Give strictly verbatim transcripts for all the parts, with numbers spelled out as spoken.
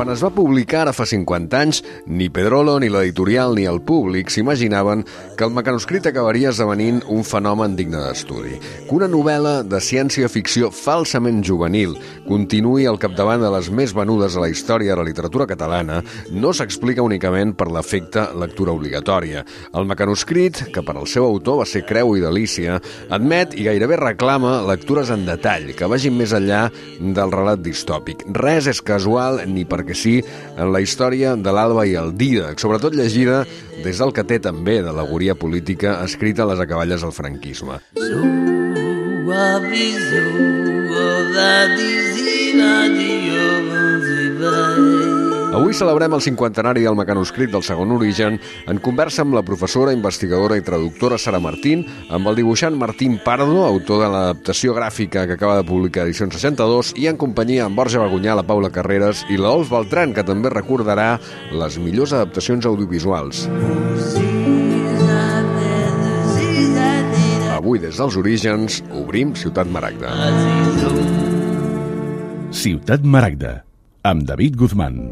Quan es va publicar ara fa cinquanta anys, ni Pedrolo, ni l'editorial, ni el públic s'imaginaven que el mecanoscrit acabaria esdevenint un fenomen digne d'estudi. Que una novel·la de ciència-ficció falsament juvenil continuï al capdavant de les més venudes a la història de la literatura catalana no s'explica únicament per l'efecte lectura obligatòria. El mecanoscrit, que per al seu autor va ser creu i delícia, admet i gairebé reclama lectures en detall que vagin més enllà del relat distòpic. Res és casual ni perquè sí en la història de l'Alba i el Dídac, sobretot llegida des del que té també d'al·legoria política escrita a les acaballes del franquisme. Avui celebrem el cinquantenari del mecanoscrit del segon origen en conversa amb la professora, investigadora i traductora Sara Martín, amb el dibuixant Martín Pardo, autor de l'adaptació gràfica que acaba de publicar Edicions seixanta-dos, i en companyia amb Borja Bagunyà, la Paula Carreras i l'Olf Beltran, que també recordarà les millors adaptacions audiovisuals. Avui, des dels orígens, obrim Ciutat Maragda. Ciutat Maragda, amb David Guzmán.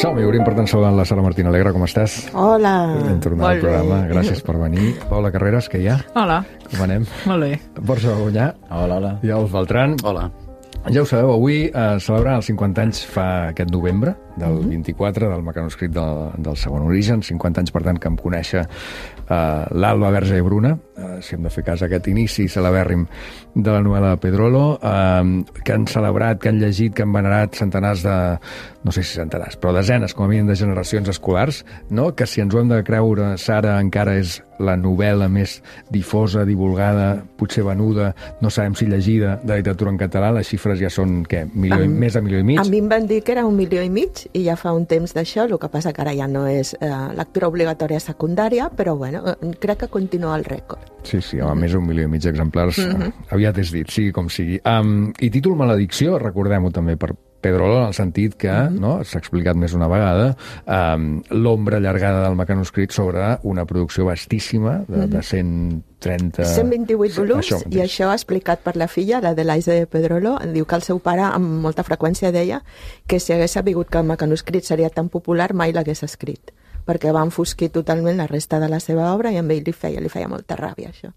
Som-hi, obrim per tant saludant la Sara Martín Alegre, com estàs? Hola, hem tornat al programa, gràcies per venir. Paula Carreras, què hi ha? Hola. Com anem? Molt bé. Borja Bagunyà. Hola, hola. I Olf Beltran. Hola. Ja ho sabeu, avui eh, celebrant els cinquanta anys fa aquest novembre, del Mm-hmm. vint-i-quatre, del mecanoscrit del, del segon origen, cinquanta anys, per tant, que em conèixer eh, l'Alba, Verge i Bruna, eh, si hem de fer cas a aquest inici celebèrrim de la novel·la de Pedrolo, eh, que han celebrat, que han llegit, que han venerat centenars de, no sé si centenars, però desenes, com a mínim, de generacions escolars, no? Que si ens ho hem de creure, Sara, encara és la novel·la més difosa, divulgada, potser venuda, no sabem si llegida, de literatura en català. Les xifres ja són, què, milió i, més de milió i mig? A mi em van dir que era un milió i mig, i ja fa un temps d'això, el que passa que ara ja no és eh, lectura obligatòria secundària, però bueno, crec que continua el rècord. Sí, sí, home, més d'un milió i mig d'exemplars, Mm-hmm. aviat és dit, sigui com sigui. Um, I títol Maledicció, recordem-ho també per Pedrolo, en el sentit que, mm-hmm. no, s'ha explicat més una vegada, um, l'ombra allargada del mecanoscrit sobre una producció vastíssima de, de cent trenta... cent vint-i-vuit volums, això, i això explicat per la filla, la de l'Aisa de Pedrolo. Diu que el seu pare amb molta freqüència deia que si hagués sabut que el mecanoscrit seria tan popular mai l'hagués escrit, perquè va enfosquir totalment la resta de la seva obra i amb ell li feia, li feia molta ràbia, això.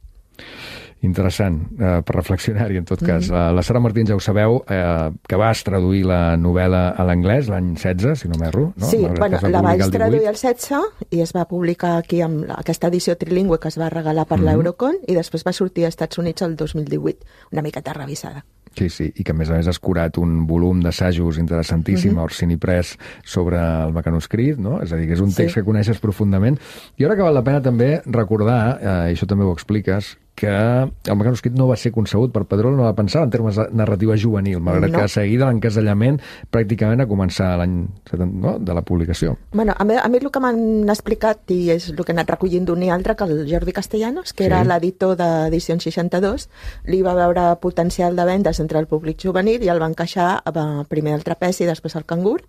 Interessant, eh, per reflexionar-hi, en tot cas. Mm-hmm. La Sara Martín, ja ho sabeu, eh, que vas traduir la novel·la a l'anglès l'any setze, si no m'erro, no? Sí, Malgrat bueno, que es va la vaig publicar el traduir divuit. al setze i es va publicar aquí amb la- aquesta edició trilingüe que es va regalar per Mhm. l'Eurocon, i després va sortir als Estats Units el dos mil divuit, una miqueta revisada. Sí, sí, i que a més a més has curat un volum d'assajos interessantíssim Mhm. a Orsini Press sobre el mecanoscrit, no? És a dir, que és un text Sí. que coneixes profundament. I ara que val la pena també recordar, eh, i això també ho expliques, que el mecanoscrit no va ser concebut per Pedrolo, no va pensar en termes de narrativa juvenil, malgrat No. que a seguida l'encasellament pràcticament a començar l'any setanta, no? de la publicació. Bueno, a mi, a mi el que m'han explicat, i és el que he anat recollint d'un i altre, que el Jordi Castellanos, que Sí. era l'editor d'Edicions seixanta-dos, li va veure potencial de vendes entre el públic juvenil i el va encaixar eh, primer al trapezi i després al cangur.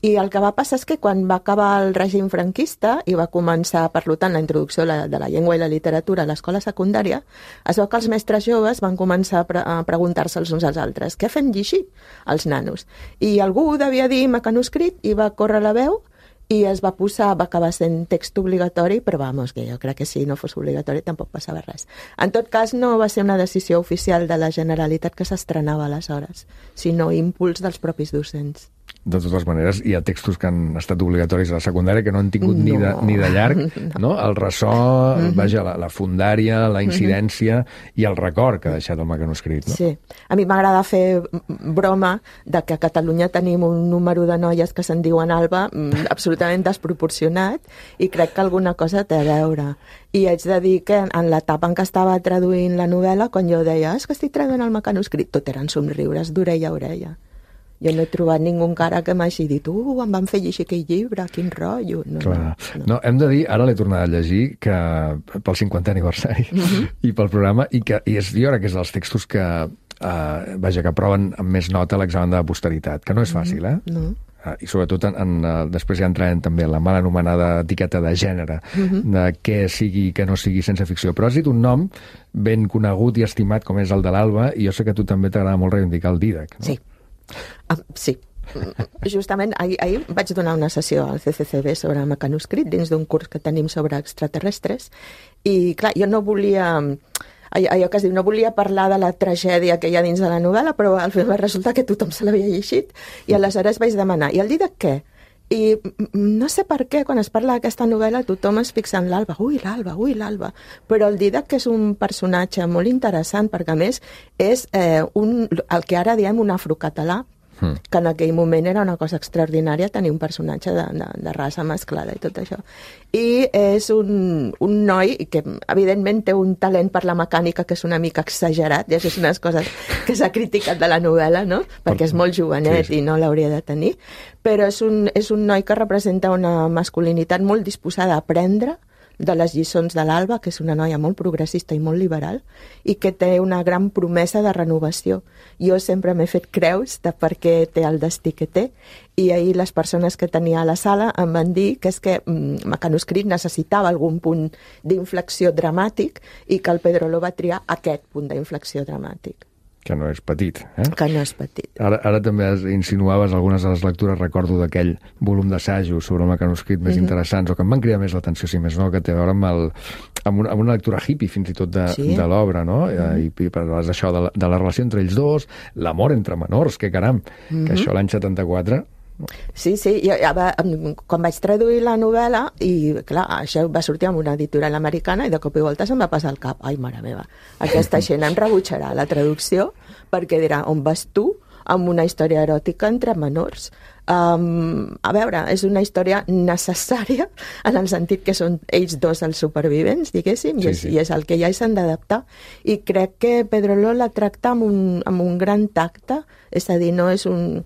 I el que va passar és que quan va acabar el règim franquista i va començar, per tant, la introducció de la, de la llengua i la literatura a l'escola secundària, es veu que els mestres joves van començar a, pre a preguntar-se els uns als altres què fem llegir els nanos? I algú devia dir mecanoscrit i va córrer la veu i es va posar, va acabar sent text obligatori, però vamos, que jo crec que si no fos obligatori tampoc passava res. En tot cas, no va ser una decisió oficial de la Generalitat que s'estrenava aleshores, sinó impuls dels propis docents. De totes maneres, hi ha textos que han estat obligatoris a la secundària que no han tingut no. ni, de, ni de llarg, no? El ressò, mm-hmm. vaja, la, la fundària, la incidència mm-hmm. i el record que ha deixat el mecanoscrit, no? Sí. A mi m'agrada fer broma de que a Catalunya tenim un número de noies que se'n diuen Alba absolutament desproporcionat i crec que alguna cosa té a veure. I haig de dir que en l'etapa en què estava traduint la novel·la, quan jo deia és que estic traduint el mecanoscrit, tot eren somriures d'orella a orella. Jo no he trobat ningú encara que m'hagi dit uh, em van fer llegir aquell llibre, quin rotllo. No, Clar. no. no, hem de dir, ara l'he tornat a llegir, que pel cinquantè aniversari uh-huh. i pel programa, i que i és, jo crec que és dels textos que uh, vaja, que aproven amb més nota l'examen de posteritat, que no és fàcil, eh? No. Uh, I sobretot en, en, uh, després ja entrarem també en la mal anomenada etiqueta de gènere, uh-huh. de què sigui i què no sigui ciència ficció. Però has dit un nom ben conegut i estimat com és el de l'Alba, i jo sé que a tu també t'agrada molt reivindicar el Dídac, no? Sí. Ah, sí. Justament ahir, ahir vaig donar una sessió al C C C B sobre mecanoscrit dins d'un curs que tenim sobre extraterrestres, i clar, jo no volia... allò que es diu, no volia parlar de la tragèdia que hi ha dins de la novel·la, però al final va resultar que tothom se l'havia llegit, i aleshores vaig demanar, i el Dídac què? I no sé per què, quan es parla d'aquesta novel·la, tothom es fixa en l'Alba, ui, l'Alba, ui, l'Alba, però el Dídac és un personatge molt interessant, perquè a més és eh, un, el que ara diem un afrocatalà, que en aquell moment era una cosa extraordinària tenir un personatge de, de, de raça mesclada i tot això. I és un, un noi que evidentment té un talent per la mecànica que és una mica exagerat, i això és unes coses que s'ha criticat de la novel·la, no? Perquè és molt jovenet, sí, sí, i no l'hauria de tenir, però és un, és un noi que representa una masculinitat molt disposada a aprendre de les lliçons de l'Alba, que és una noia molt progressista i molt liberal, i que té una gran promesa de renovació. Jo sempre m'he fet creus de per què té el destí que té, i ahir les persones que tenia a la sala em van dir que és que mm, Mecanoscrit necessitava algun punt d'inflexió dramàtic i que el Pedrolo va triar aquest punt d'inflexió dramàtic. Que no és petit, eh? Que no és petit. Ara, ara també insinuaves algunes de les lectures, recordo d'aquell volum d'assajos sobre el mecanoscrit més mm-hmm. interessants, o que em van cridar més l'atenció, si més no, que té a veure amb, el, amb, una, amb una lectura hippie, fins i tot, de, sí. de l'obra, no? Mm-hmm. I, i parles d'això, de la, de la relació entre ells dos, l'amor entre menors, que caram, mm-hmm. que això l'any setanta-quatre... Sí, sí, jo, ja va, quan vaig traduir la novel·la, i clar, això va sortir amb una editorial americana, i de cop i volta se'm va passar al cap, ai, mare meva, aquesta gent em rebutjarà la traducció, perquè dirà, on vas tu amb una història eròtica entre menors? Um, a veure, és una història necessària en el sentit que són ells dos els supervivents, diguéssim, sí, i, és, sí. i és el que ja s'han d'adaptar, i crec que Pedrolo la tracta amb un, amb un gran tacte, és a dir, no és un...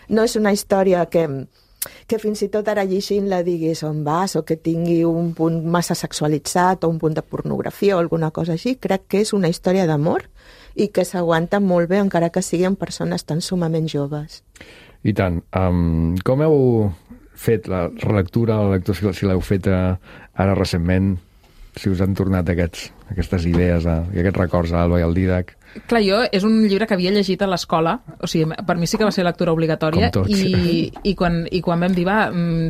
no és una història que, que fins i tot ara llegint la diguis on vas, o que tingui un punt massa sexualitzat o un punt de pornografia o alguna cosa així. Crec que és una història d'amor i que s'aguanta molt bé encara que siguin persones tan sumament joves. I tant. Um, com heu fet la relectura, la lectura, si l'heu fet ara recentment, si us han tornat aquests, aquestes idees a, i aquests records a l'Alba i al Dídac? Clar, jo és un llibre que havia llegit a l'escola, o sigui, per mi sí que va ser lectura obligatòria, i, i, quan, i quan vam dir, va,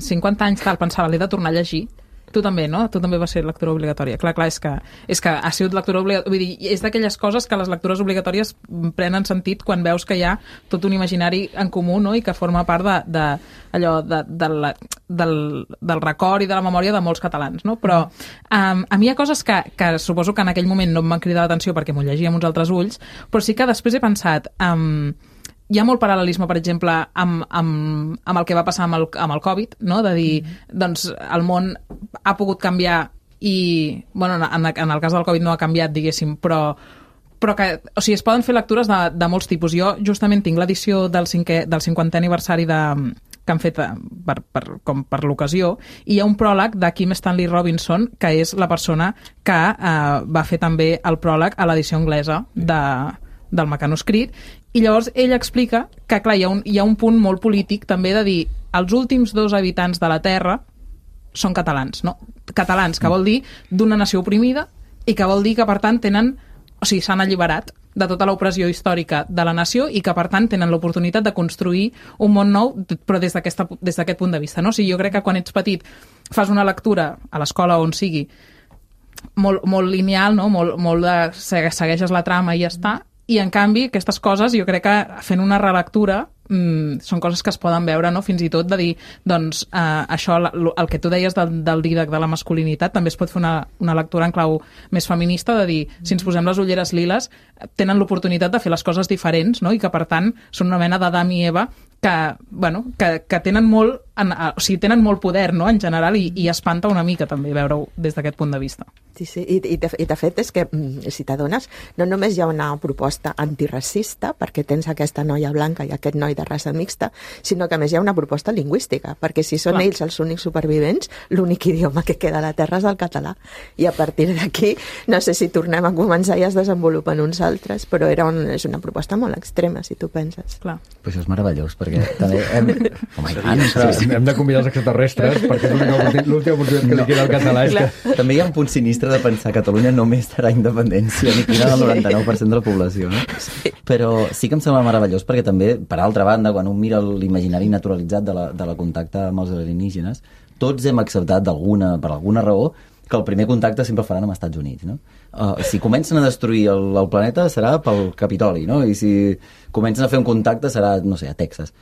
cinquanta anys tal, pensava, l'he de tornar a llegir. Tu també, no? Tu també va ser lectura obligatòria. Clar, clar, és que, és que ha sigut lectura obligatòria. Vull dir, és d'aquelles coses que les lectures obligatòries prenen sentit quan veus que hi ha tot un imaginari en comú, no? I que forma part de, de, allò, de, de la, del, del record i de la memòria de molts catalans, no? Però um, a mi hi ha coses que, que suposo que en aquell moment no em van cridar l'atenció perquè m'ho llegia amb uns altres ulls, però sí que després he pensat... Um, hi ha molt paral·lelisme, per exemple, amb, amb, amb el que va passar amb el, amb el Covid, no? De dir, doncs, el món ha pogut canviar i, bueno, en, en el cas del Covid no ha canviat, diguéssim, però, però que, o sigui, es poden fer lectures de, de molts tipus. Jo justament tinc l'edició del, cinquè, del cinquantè aniversari de, que han fet per, per, com per l'ocasió, i hi ha un pròleg de Kim Stanley Robinson, que és la persona que eh, va fer també el pròleg a l'edició anglesa de, del Mecanoscrit. I llavors ell explica que, clar, hi ha, un, hi ha un punt molt polític també de dir els últims dos habitants de la Terra són catalans, no? Catalans, que vol dir d'una nació oprimida i que vol dir que, per tant, tenen... O sigui, s'han alliberat de tota l'opressió històrica de la nació i que, per tant, tenen l'oportunitat de construir un món nou, però des d'aquest punt de vista, no? O sigui, jo crec que quan ets petit fas una lectura a l'escola on sigui molt, molt lineal, no? Molt, molt de... segueixes la trama i ja està. I, en canvi, aquestes coses, jo crec que fent una relectura mmm, són coses que es poden veure, no? Fins i tot de dir, doncs, eh, això, el que tu deies del, del Dídac, de la masculinitat, també es pot fer una, una lectura en clau més feminista, de dir, si ens posem les ulleres liles, tenen l'oportunitat de fer les coses diferents, no? I que, per tant, són una mena d'Adam i Eva que, bueno, que, que tenen molt en, o sigui, tenen molt poder, no?, en general, i, i espanta una mica també veure-ho des d'aquest punt de vista. Sí, sí, i, i, de, i de fet és que, si t'adones, no només hi ha una proposta antiracista, perquè tens aquesta noia blanca i aquest noi de raça mixta, sinó que a més hi ha una proposta lingüística, perquè si són Clar. ells els únics supervivents, l'únic idioma que queda a la Terra és el català. I a partir d'aquí, no sé si tornem a començar i es desenvolupen uns altres, però era un, és una proposta molt extrema, si tu penses. Clar. Pues això és meravellós, perquè també hem... Home, tant, sí, hem de convidar els extraterrestres, perquè és l'última oportunitat que li queda al català. És que... També hi ha un punt sinistre de pensar que Catalunya només terà independència, ni quina del noranta-nou per cent de la població, no? Sí. Però sí que em sembla meravellós, perquè també, per altra banda, quan un mira l'imaginari naturalitzat de la, de la contacte amb els alienígenes, tots hem acceptat d'alguna, per alguna raó, que el primer contacte sempre el faran amb els Estats Units, no? Uh, si comencen a destruir el, el planeta serà pel Capitoli, no? I si comencen a fer un contacte serà, no sé, a Texas.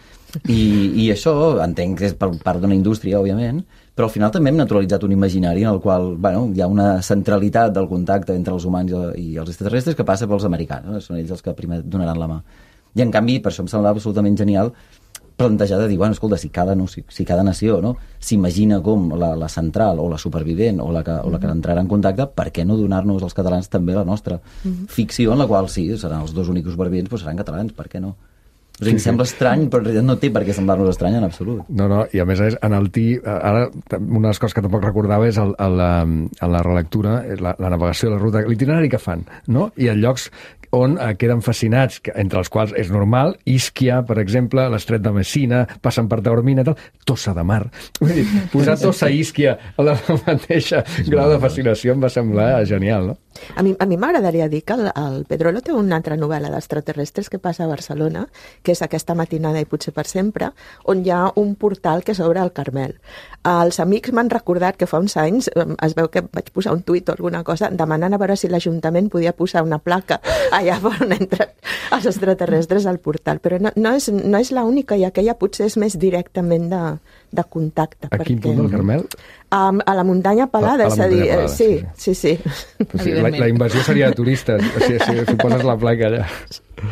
I, i això entenc que és per part d'una indústria, òbviament, però al final també hem naturalitzat un imaginari en el qual, bueno, hi ha una centralitat del contacte entre els humans i els extraterrestres que passa pels americans, no? Són ells els que primer donaran la mà. I en canvi, per això em semblava absolutament genial plantejar de dir, bueno, escolta, si cada, no, si, si cada nació, no, s'imagina com la, la central o la supervivent o la que, o la que entrarà en contacte, per què no donar-nos als catalans també la nostra mm-hmm. ficció, en la qual sí, seran els dos únics supervivents, però seran catalans, per què no? O sigui, sí, em sembla sí. estrany, però en realitat no té per què semblar-nos estrany en absolut. No, no, i a més en el T I, ara una de les coses que tampoc recordava és el, el, el, la relectura, la, la navegació, la ruta, l'itinerari que fan, no? I en llocs on eh, queden fascinats, entre els quals és normal, Ischia, per exemple, l'estret de Messina, passen per Taormina i tal, Tossa de Mar. Vull dir, posar Tossa i Ischia a la mateixa grau de fascinació em va semblar genial, no? A mi, a mi m'agradaria dir que el, el Pedrolo té una altra novel·la d'extraterrestres que passa a Barcelona, que és Aquesta matinada i potser per sempre, on hi ha un portal que s'obre al Carmel. Els amics m'han recordat que fa uns anys es veu que vaig posar un tuit o alguna cosa demanant a veure si l'Ajuntament podia posar una placa allà on entren els extraterrestres al portal, però no, no és, no és l'única, i aquella potser és més directament de, de contacte. A quin punt del Carmel? A, a la muntanya Pelada, és a dir, Pelada, sí, sí, sí. sí. sí la, la invasió seria de turistes, si, si, si poses la placa allà.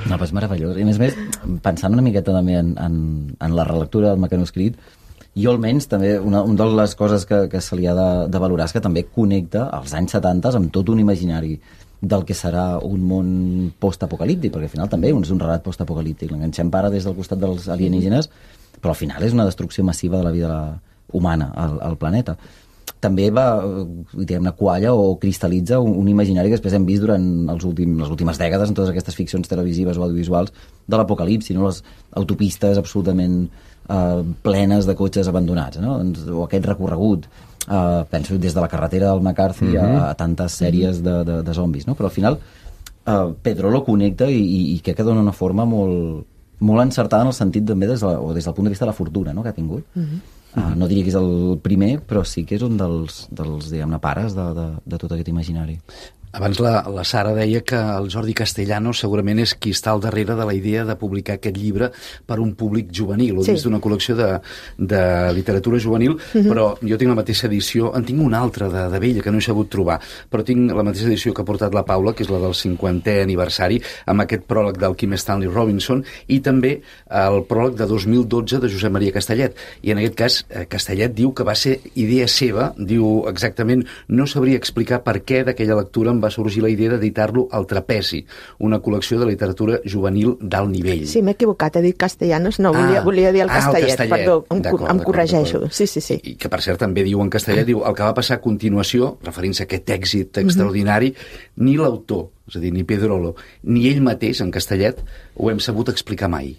No, però és meravellós. I a més a més, pensant una miqueta també en, en, en la relectura del mecanoscrit, jo almenys també, una, una de les coses que, que se li ha de, de valorar és que també connecta els anys setanta amb tot un imaginari del que serà un món post-apocalíptic, perquè al final també és un relat post-apocalíptic. L'enganxem para des del costat dels alienígenes, però al final és una destrucció massiva de la vida humana al, al planeta. També va, diguem-ne, qualla o cristal·litza un, un imaginari que després hem vist durant els últim, les últimes dècades en totes aquestes ficcions televisives o audiovisuals de l'apocalipsi, no? Les autopistes absolutament eh, plenes de cotxes abandonats, no? O aquest recorregut, eh, penso des de la carretera del McCarthy mm-hmm. a, a tantes sèries de, de, de zombis, no? Però al final eh, Pedrolo connecta i, i, i crec que dona una forma molt, molt encertada en el sentit també des de la, o des del punt de vista de la fortuna, no?, que ha tingut. Mm-hmm. Uh, no diria que és el primer, però sí que és un dels, dels diguem-ne, pares de, de, de tot aquest imaginari. Abans la, la Sara deia que el Jordi Castellanos segurament és qui està al darrere de la idea de publicar aquest llibre per un públic juvenil, o sí. dins d'una col·lecció de, de literatura juvenil, mm-hmm. però jo tinc la mateixa edició, en tinc una altra de, de vella que no he sabut trobar, però tinc la mateixa edició que ha portat la Paula, que és la del cinquantè aniversari, amb aquest pròleg del Kim Stanley Robinson, i també el pròleg de dos mil dotze de Josep Maria Castellet. I en aquest cas, Castellet diu que va ser idea seva, diu exactament, no sabria explicar per què d'aquella lectura em va sorgir la idea d'editar-lo al Trapezi, una col·lecció de literatura juvenil d'alt nivell. Sí, m'he equivocat, he dit Castellanos, no, volia, ah, volia dir el Castellet, ah, el Castellet. Perdó, em, em corregeixo. Sí, sí, sí. I que, per cert, també diu en Castellet, diu, el que va passar a continuació, referint-se a aquest èxit extraordinari, mm-hmm. ni l'autor, és a dir, ni Pedrolo, ni ell mateix, en Castellet, ho hem sabut explicar mai.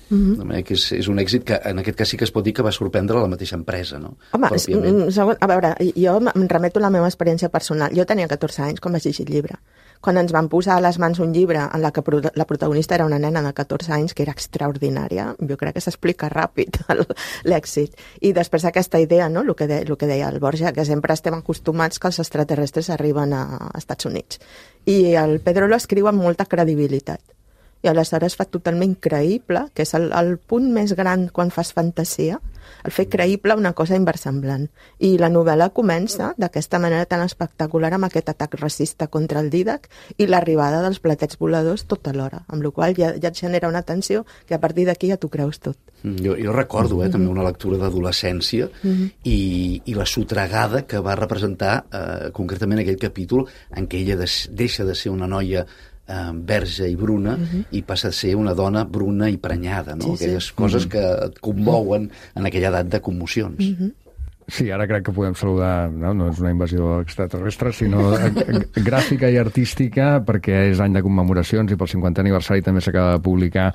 Mm-hmm. De manera que és, és un èxit que en aquest cas sí que es pot dir que va sorprendre la mateixa empresa, no? Home, segon, a veure, jo em remeto a la meva experiència personal. Jo tenia catorze anys quan vaig llegir el llibre. Quan ens van posar a les mans un llibre en la que la protagonista era una nena de catorze anys, que era extraordinària, jo crec que s'explica ràpid l'èxit. I després aquesta idea, no?, el que, de, el que deia el Borja, que sempre estem acostumats que els extraterrestres arriben a Estats Units. I el Pedrolo escriu amb molta credibilitat. I aleshores fa totalment creïble, que és el, el punt més gran quan fas fantasia, el fer creïble una cosa inversemblant. I la novel·la comença d'aquesta manera tan espectacular amb aquest atac racista contra el Dídac i l'arribada dels platets voladors tot alhora, amb la qual ja, ja et genera una tensió que a partir d'aquí ja t'ho creus tot. Jo, jo recordo eh, també una lectura d'adolescència mm-hmm. i, i la sotregada que va representar eh, concretament aquell capítol en què ella des, deixa de ser una noia eh, verge i bruna mm-hmm. i passa a ser una dona bruna i prenyada, no? Sí, aquelles sí. coses mm-hmm. que et commouen en aquella edat de commocions. Mm-hmm. Sí, ara crec que podem saludar, no, no és una invasió extraterrestre, sinó gràfica i artística, perquè és any de commemoracions i pel cinquantè aniversari també s'acaba de publicar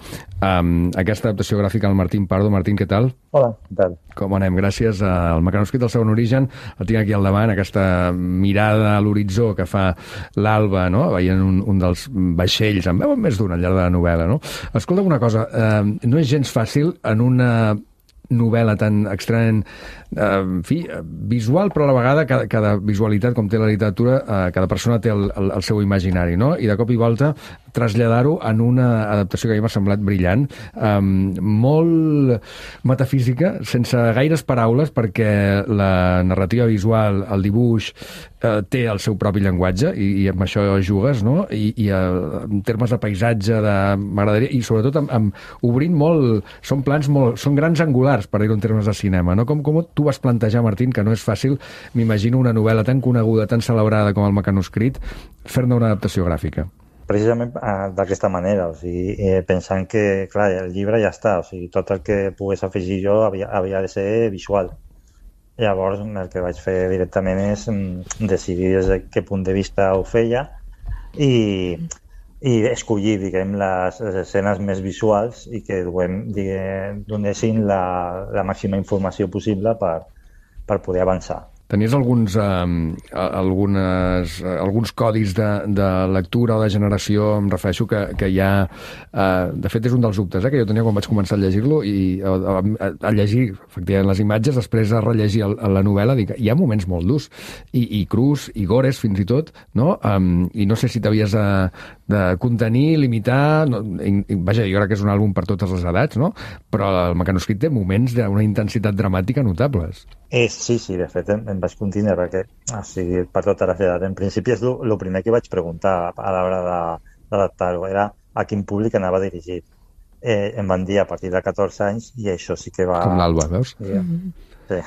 um, aquesta adaptació gràfica del Martín Pardo. Martín, què tal? Hola, què tal? Com anem? Gràcies al mecanoscrit del segon origen. El tinc aquí al davant, aquesta mirada a l'horitzó que fa l'Alba, no? Veient un, un dels vaixells, en veuen més d'un al llarg de la novel·la, no? Escolta una cosa, eh, no és gens fàcil en una novel·la tan extremament eh, en fi, visual, però a la vegada cada, cada visualitat, com té la literatura, eh, cada persona té el, el, el seu imaginari, no? I de cop i volta traslladar-ho en una adaptació que a mi m'ha semblat brillant, eh, molt metafísica, sense gaires paraules, perquè la narrativa visual, el dibuix, eh, té el seu propi llenguatge, i, i amb això jugues, no? I, i eh, en termes de paisatge, de m'agradaria, i sobretot amb, amb obrint molt, són plans molt, són grans angulars, per dir-ho en termes de cinema, no? Com, com tu vas plantejar, Martín, que no és fàcil, m'imagino una novel·la tan coneguda, tan celebrada com el mecanoscrit, fer-ne una adaptació gràfica. Precisament d'aquesta manera, o sigui, eh, pensant que, clar, el llibre ja està, o sigui, tot el que pogués afegir jo havia, havia de ser visual. Llavors, el que vaig fer directament és decidir des de què punt de vista ho feia i, i escollir, diguem, les, les escenes més visuals i que duem, diguem, donessin la, la màxima informació possible per, per poder avançar. Tenies alguns, eh, algunes, alguns codis de, de lectura o de generació, em refereixo, que, que ja... Eh, de fet, és un dels dubtes eh, que jo tenia quan vaig començar a llegir-lo, i a, a, a llegir, efectivament, les imatges, després a rellegir el, la novel·la, dic, hi ha moments molt durs, i, i crus, i gores, fins i tot, no? Um, I no sé si t'havies de, de contenir, limitar... No, i, i, vaja, jo crec que és un àlbum per totes les edats, no? Però el mecanoscrit té moments d'una intensitat dramàtica notables. Eh, sí, sí, de fet em, em vaig continuar perquè, o sigui, per tota la edat, en principi és el primer que vaig preguntar a l'hora d'adaptar-ho, era a quin públic anava dirigit. Eh, em van dir a partir de catorze anys i això sí que va... Com l'Alba, veus? Sí, sí.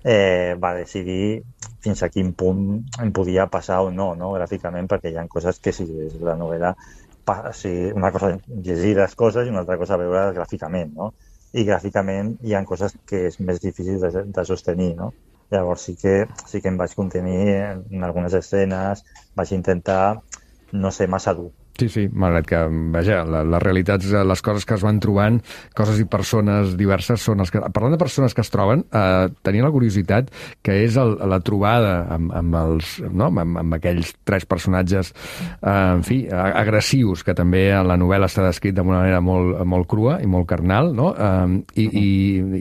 Eh, va decidir fins a quin punt em podia passar o no, no, gràficament, perquè hi ha coses que si la novel·la, o sigui, una cosa llegir les coses i una altra cosa veure gràficament, no? I gràficament hi ha coses que és més difícil de, de sostenir, no? Llavors sí que, sí que em vaig contenir en algunes escenes, vaig intentar no ser massa dur. Sí, sí, malgrat que, vaja, la, les realitats, les coses que es van trobant, coses i persones diverses són els que... Parlant de persones que es troben, eh, tenia la curiositat que és el, la trobada amb, amb, els, no? amb, amb aquells tres personatges, eh, en fi, agressius, que també en la novel·la està descrit d'una manera molt, molt crua i molt carnal, no? Eh, i, i,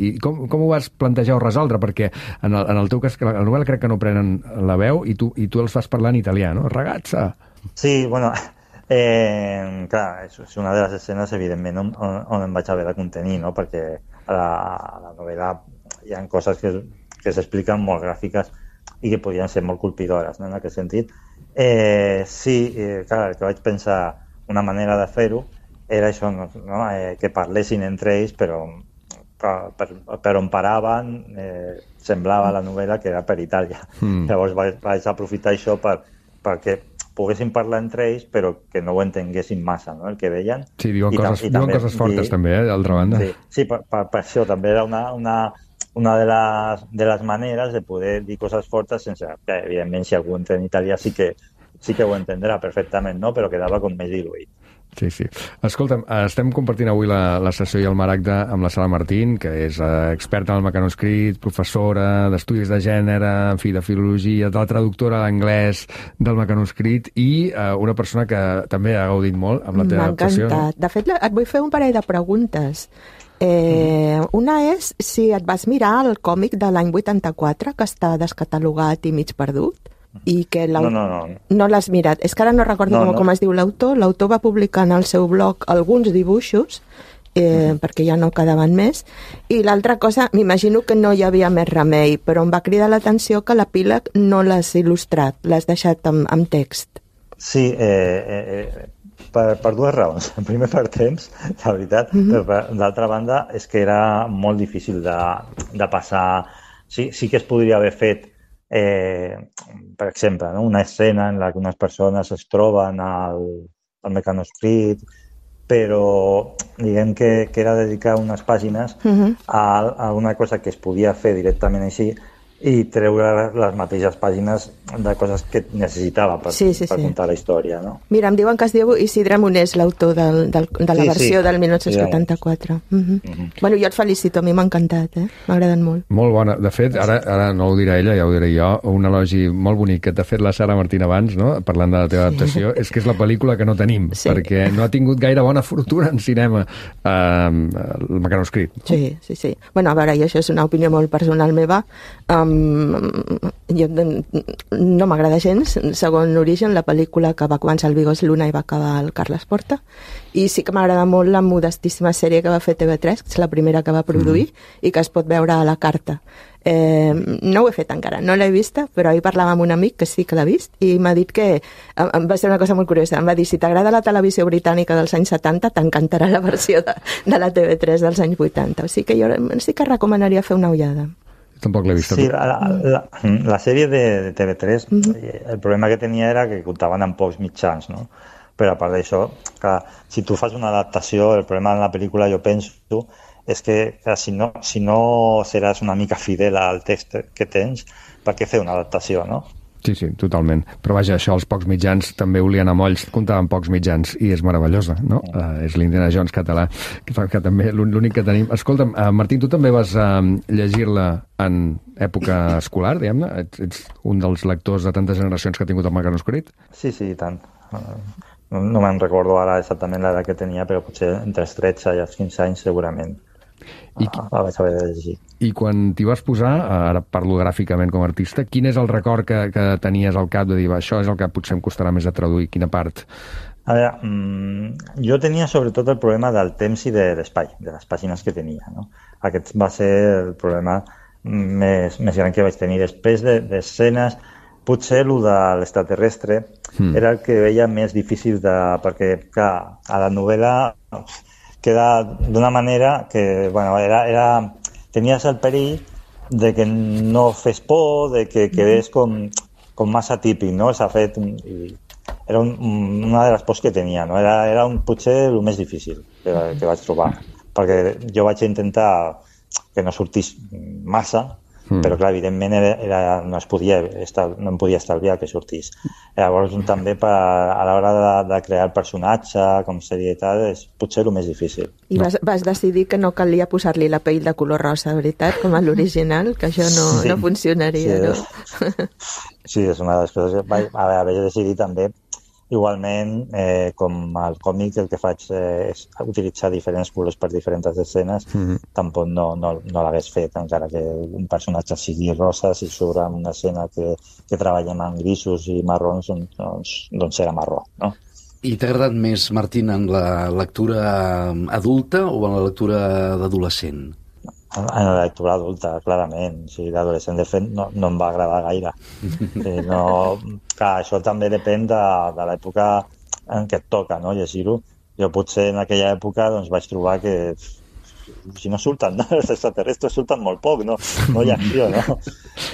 i com, com ho vas plantejar o resoldre? Perquè en el, en el teu cas, la novel·la crec que no prenen la veu i tu, i tu els fas parlar en italià, no? Ragazza! Sí, bueno... Eh, clar, és una de les escenes, evidentment, on, on, on em vaig haver de contenir, no? Perquè a la, a la novel·la hi ha coses que, que s'expliquen molt gràfiques i que podien ser molt colpidores, no? En aquest sentit. Eh, sí, eh, clar, el que vaig pensar, una manera de fer-ho era això, no? Eh, que parlessin entre ells, però per, per, per on paraven eh, semblava la novel·la que era per Itàlia. Mm. Llavors vaig, vaig aprofitar això per, perquè poguessin parlar entre ells, però que no ho entenguessin massa, no?, el que deien. Sí, diuen, coses, diuen també, coses fortes, i, també, eh, d'altra banda. Sí, sí per, per, per això també era una, una, una de, les, de les maneres de poder dir coses fortes sense que, evidentment, si algú entén italià sí que, sí que ho entendrà perfectament, no?, però quedava com més diluït. Sí, sí. Escolta'm, estem compartint avui la, la sessió i el maragda amb la Sala Martín, que és eh, experta en el mecanoscrit, professora d'estudis de gènere, en fi, de filologia, de la traductora d'anglès del mecanoscrit i eh, una persona que també ha gaudit molt amb la teva adaptació. M'ha encantat. De fet, et vull fer un parell de preguntes. Eh, mm. Una és si et vas mirar el còmic de l'any vuitanta-quatre, que està descatalogat i mig perdut, i que no, no, no. no l'has mirat. És que ara no recordo no, com, no. com es diu l'autor. L'autor va publicar en el seu blog alguns dibuixos eh, perquè ja no quedaven més. I l'altra cosa, m'imagino que no hi havia més remei, però em va cridar l'atenció que l'epíleg no l'has il·lustrat, l'has deixat amb, amb text. Sí, eh, eh, per, per dues raons. Primer per temps, la veritat, mm-hmm. però d'altra banda és que era molt difícil de, de passar. Sí, sí que es podria haver fet, eh, per exemple, no? Una escena en la que unes persones es troben al, al mecanoscrit, però diguem que, que era dedicar unes pàgines uh-huh. a, a una cosa que es podia fer directament així i treure les mateixes pàgines de coses que necessitava per, sí, sí, per sí. contar la història. No? Mira, em diuen que es diu Isidre Monés, l'autor del, del, de la sí, versió sí. del dinou vuitanta-quatre. Sí, uh-huh. uh-huh. Bueno, jo et felicito, a mi m'ha encantat, eh? M'ha agradat molt. Molt bona. De fet, ara, ara no ho dirà ella, ja ho diré jo, un elogi molt bonic que t'ha fet la Sara Martín abans, no? Parlant de la teva adaptació, sí. és que és la pel·lícula que no tenim, sí. perquè no ha tingut gaire bona fortuna en cinema eh, el mecanoscrit. Sí, sí, sí. Bueno, a veure, i això és una opinió molt personal meva. Um, jo, no m'agrada gens, segon Origen, la pel·lícula que va començar el Vigós Luna i va acabar el Carles Porta, i sí que m'agrada molt la modestíssima sèrie que va fer T V tres, que és la primera que va produir mm. i que es pot veure a la carta. Eh, no ho he fet encara, no l'he vista, però ahir parlava amb un amic que sí que l'ha vist i m'ha dit que, em va ser una cosa molt curiosa, em va dir, si t'agrada la televisió britànica dels anys setanta, t'encantarà la versió de, de la T V tres dels anys vuitanta, o sigui que jo sí que recomanaria fer una ullada. Tampoc l'he vist. Sí, la, la, la sèrie de, de T V tres, uh-huh. el problema que tenia era que comptaven amb pocs mitjans, no? Però a part d'això, que si tu fas una adaptació, el problema en la pel·lícula, jo penso, és que, que si, no, si no seràs una mica fidel al text que tens, per què fer una adaptació, no? Sí, sí, totalment. Però vaja, això, els pocs mitjans també olien a molls, comptaven pocs mitjans, i és meravellosa, no? Mm. Uh, és l'Indiana Jones català, que, fa, que també l'únic que tenim. Escolta'm, uh, Martín, tu també vas uh, llegir-la en època escolar, diguem-ne? Ets, ets un dels lectors de tantes generacions que ha tingut el mecanoscrit? Sí, sí, i tant. No, no me'n recordo ara exactament l'edat que tenia, però potser entre els tretze i els quinze anys segurament. I, ah, la vaig haver de llegir. I quan t'hi vas posar, ara parlo gràficament com a artista, quin és el record que, que tenies al cap de dir, això és el que potser em costarà més de traduir, quina part? A veure, mmm, jo tenia sobretot el problema del temps i de l'espai, de les pàgines que tenia, no? Aquest va ser el problema més, més gran que vaig tenir. Després d'escenes, de, potser el de l'extraterrestre mm. era el que veia més difícil de, perquè, clar, a la novel·la queda d'una manera que, bueno, era, era, tenies el perill de que no fes por, de que quedés com, com massa típic, no? S'ha fet... I era un, una de les pors que tenia, no? Era, era un, potser el més difícil que, que vaig trobar, perquè jo vaig intentar que no sortís massa, mm. però clar, evidentment era, era, no, es podia estar, no em podia estalviar que sortís. Llavors també per, a l'hora de, de crear el personatge com seria i tal, és potser el més difícil. I vas, vas decidir que no calia posar-li la pell de color rosa, veritat, com a l'original, que això no, sí. no funcionaria, sí, no? Sí, és una de les coses que vaig haver decidit també. Igualment, eh, com al còmic, el que faig eh, és utilitzar diferents colors per diferents escenes. Mm-hmm. Tampoc no, no, no l'hagués fet, encara que un personatge sigui rosa, si surt en una escena que, que treballem en grisos i marrons, doncs, doncs serà marró, no? I t'ha agradat més, Martín, en la lectura adulta o en la lectura d'adolescent? En la lectura adulta, clarament. Sí, l'adolescent, de fet, no, no em va agradar gaire. Eh, no, clar, això també depèn de, de l'època en què et toca, no?, llegir-ho. Jo potser en aquella època doncs, vaig trobar que si no surten, no? Els extraterrestres surten molt poc, no, no hi ha acció, no?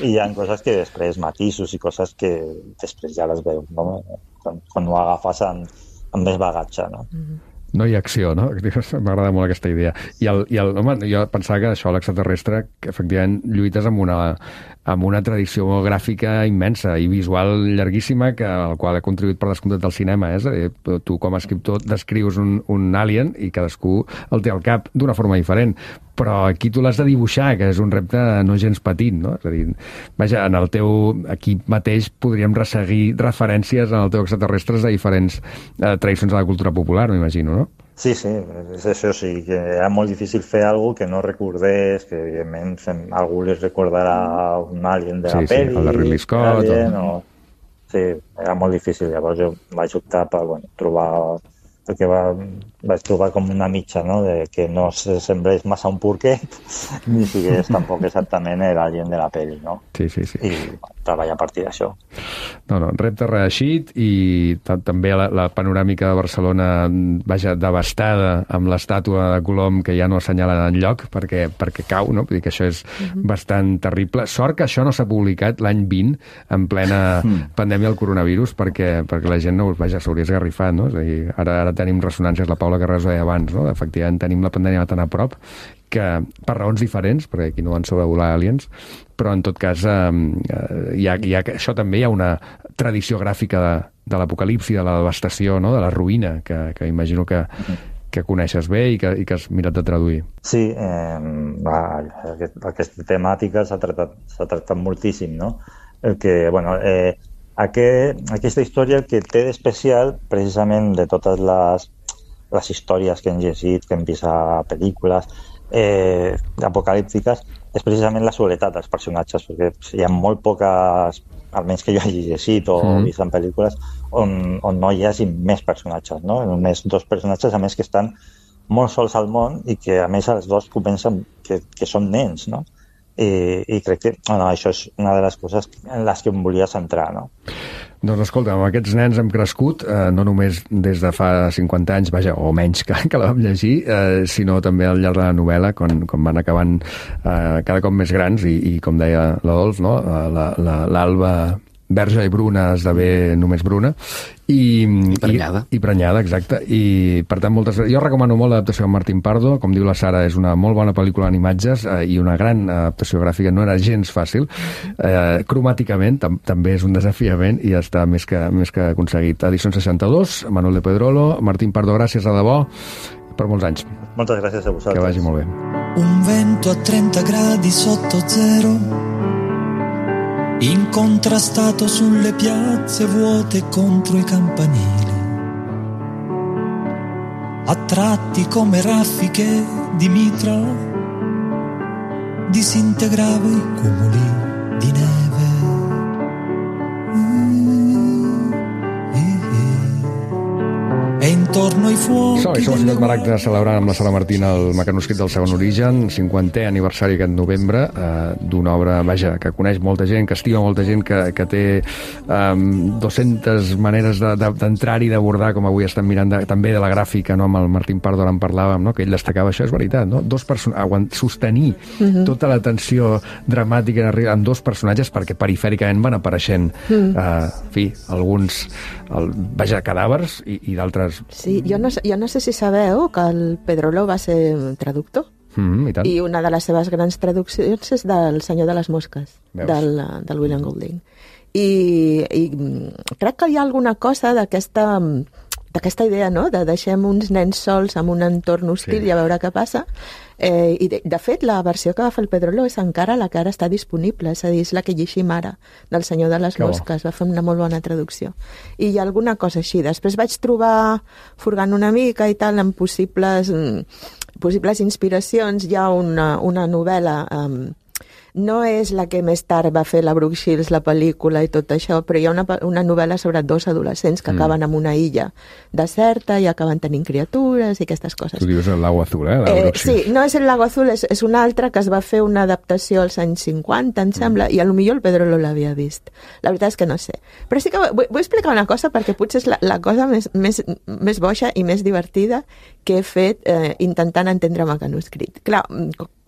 I hi ha coses que després, matisos i coses que després ja les veus, no? Quan, quan ho agafes amb, amb més bagatge, no? Mm-hmm. No hi ha acció, no? M'agrada molt aquesta idea. I, el, i el, home, jo pensava que això, l'extraterrestre, que efectivament lluites amb una, amb una tradició gràfica immensa i visual llarguíssima, que, al qual ha contribuït per descomptat del cinema. Eh? És a dir, tu com a escriptor descrius un, un alien i cadascú el té al cap d'una forma diferent. Però aquí tu l'has de dibuixar, que és un repte no gens petit, no? És a dir, vaja, en el teu... Aquí mateix podríem resseguir referències en el teu extraterrestres a diferents eh, tradicions de la cultura popular, m'imagino, no? Sí, sí, és això, sí, que era molt difícil fer alguna que no recordés, que evidentment fem, algú li recordarà un alien de la sí, pel·li. Sí, el de Ridley Scott. Alien, o... o... Sí, era molt difícil, llavors jo vaig optar per, bueno, trobar perquè va, vaig trobar com una mitja, no?, de que no se semblés massa un porquet ni sigués tampoc exactament l'agent de la pel·li, no? Sí, sí, sí. I treballar a partir d'això. No, no, repte reeixit i també la, la panoràmica de Barcelona, vaja, devastada amb l'estàtua de Colom que ja no assenyala enlloc perquè, perquè cau, no? Vull dir que això és uh-huh. bastant terrible. Sort que això no s'ha publicat l'any vint en plena mm. pandèmia del coronavirus perquè, perquè la gent no, vaja, s'hauria esgarrifat, no? És a dir, ara, ara tenim ressonàncies, la Paula Carràs ho deia abans, no? Efectivament tenim la pandèmia tan a prop que, per raons diferents, perquè aquí no van sobrevolar aliens, però en tot cas eh, hi ha, hi ha, això també hi ha una tradició gràfica de, de l'apocalipsi, de la devastació, no? De la ruïna, que, que imagino que, que coneixes bé i que, i que has mirat de traduir. Sí, eh, va, aquest, aquesta temàtica s'ha tractat, s'ha tractat moltíssim, no? El que, bueno, eh, aquest, aquesta història el que té d'especial, precisament de totes les, les històries que hem llegit, que hem vist a pel·lícules eh, apocalíptiques, és precisament la soledat dels personatges, perquè hi ha molt poques, almenys que jo hagi llegit o mm. vist en pel·lícules, on, on no hi hagi més personatges, no? Només dos personatges, a més que estan molt sols al món i que a més els dos comencen que, que són nens, no? I, i crec que bueno, això és una de les coses en les que em volia centrar, no? Doncs escolta, amb aquests nens hem crescut, eh, no només des de fa cinquanta anys, vaja, o menys que, que la vam llegir, eh, sinó també al llarg de la novel·la, quan, quan van acabant eh, cada cop més grans, i, i com deia l'Adolf, no? l'Alba verge i bruna esdevé només bruna, i, I prenyada. I, i prenyada, exacte. I, per tant, moltes... Jo recomano molt l'adaptació de Martín Pardo. Com diu la Sara, és una molt bona pel·lícula en imatges eh, i una gran adaptació gràfica. No era gens fàcil. Eh, cromàticament tam també és un desafiament i està més que, més que aconseguit. Edició seixanta-dos, Manuel de Pedrolo. Martín Pardo, gràcies, a debò, per molts anys. Moltes gràcies a vosaltres. Que vagi molt bé. Un vento a trenta gradi sotto zero, incontrastato sulle piazze vuote contro i campanili, a tratti come raffiche di mitra disintegrava i cumuli di neve. E intorno ai fuochi Som, som a Ciutat Maragda celebrant amb la Sala Martina el mecanoscrit del segon origen, cinquantè aniversari aquest novembre, eh, d'una obra, vaja, que coneix molta gent, que estima molta gent, que, que té um, dues-centes maneres d'entrar-hi, de, d'abordar, com avui estem mirant de, també de la gràfica, no? Amb el Martín Pardo en parlàvem, no? Que ell destacava, això és veritat, no? Dos personatges, sostenir uh-huh. tota la tensió dramàtica amb dos personatges, perquè perifèricament van apareixent uh-huh. eh, en fi, alguns el, vaja, cadàvers i, i d'altres. Sí, jo no, jo no sé si sabeu que el Pedrolo va ser traductor. Mm, i, tant. I una de les seves grans traduccions és del Senyor de les Mosques, del, del William Golding. I, I crec que hi ha alguna cosa d'aquesta d'aquesta idea, no?, de deixem uns nens sols en un entorn hostil sí. i a veure què passa. Eh, I de, de fet, la versió que va fer el Pedrolo és encara la que ara està disponible, és a dir, és la que llegim ara, del Senyor de les que Mosques, bo. Va fer una molt bona traducció. I hi ha alguna cosa així. Després vaig trobar, furgant una mica i tal, amb possibles, possibles inspiracions. Hi ha una, una novel·la... Um, no és la que més tard va fer la Brooke Shields, la pel·lícula i tot això, però hi ha una, una novel·la sobre dos adolescents que mm. acaben en una illa deserta i acaben tenint criatures i aquestes coses. Tu dius el Lago Azul, eh? La eh sí, no és el Lago Azul, és, és una altra que es va fer una adaptació als anys cinquanta, em sembla, mm. i a lo millor el Pedrolo l'havia vist. La veritat és que no sé. Però sí que vull, vull explicar una cosa, perquè potser és la, la cosa més, més, més boixa i més divertida que he fet eh, intentant entendre mecanoscrit. Clar,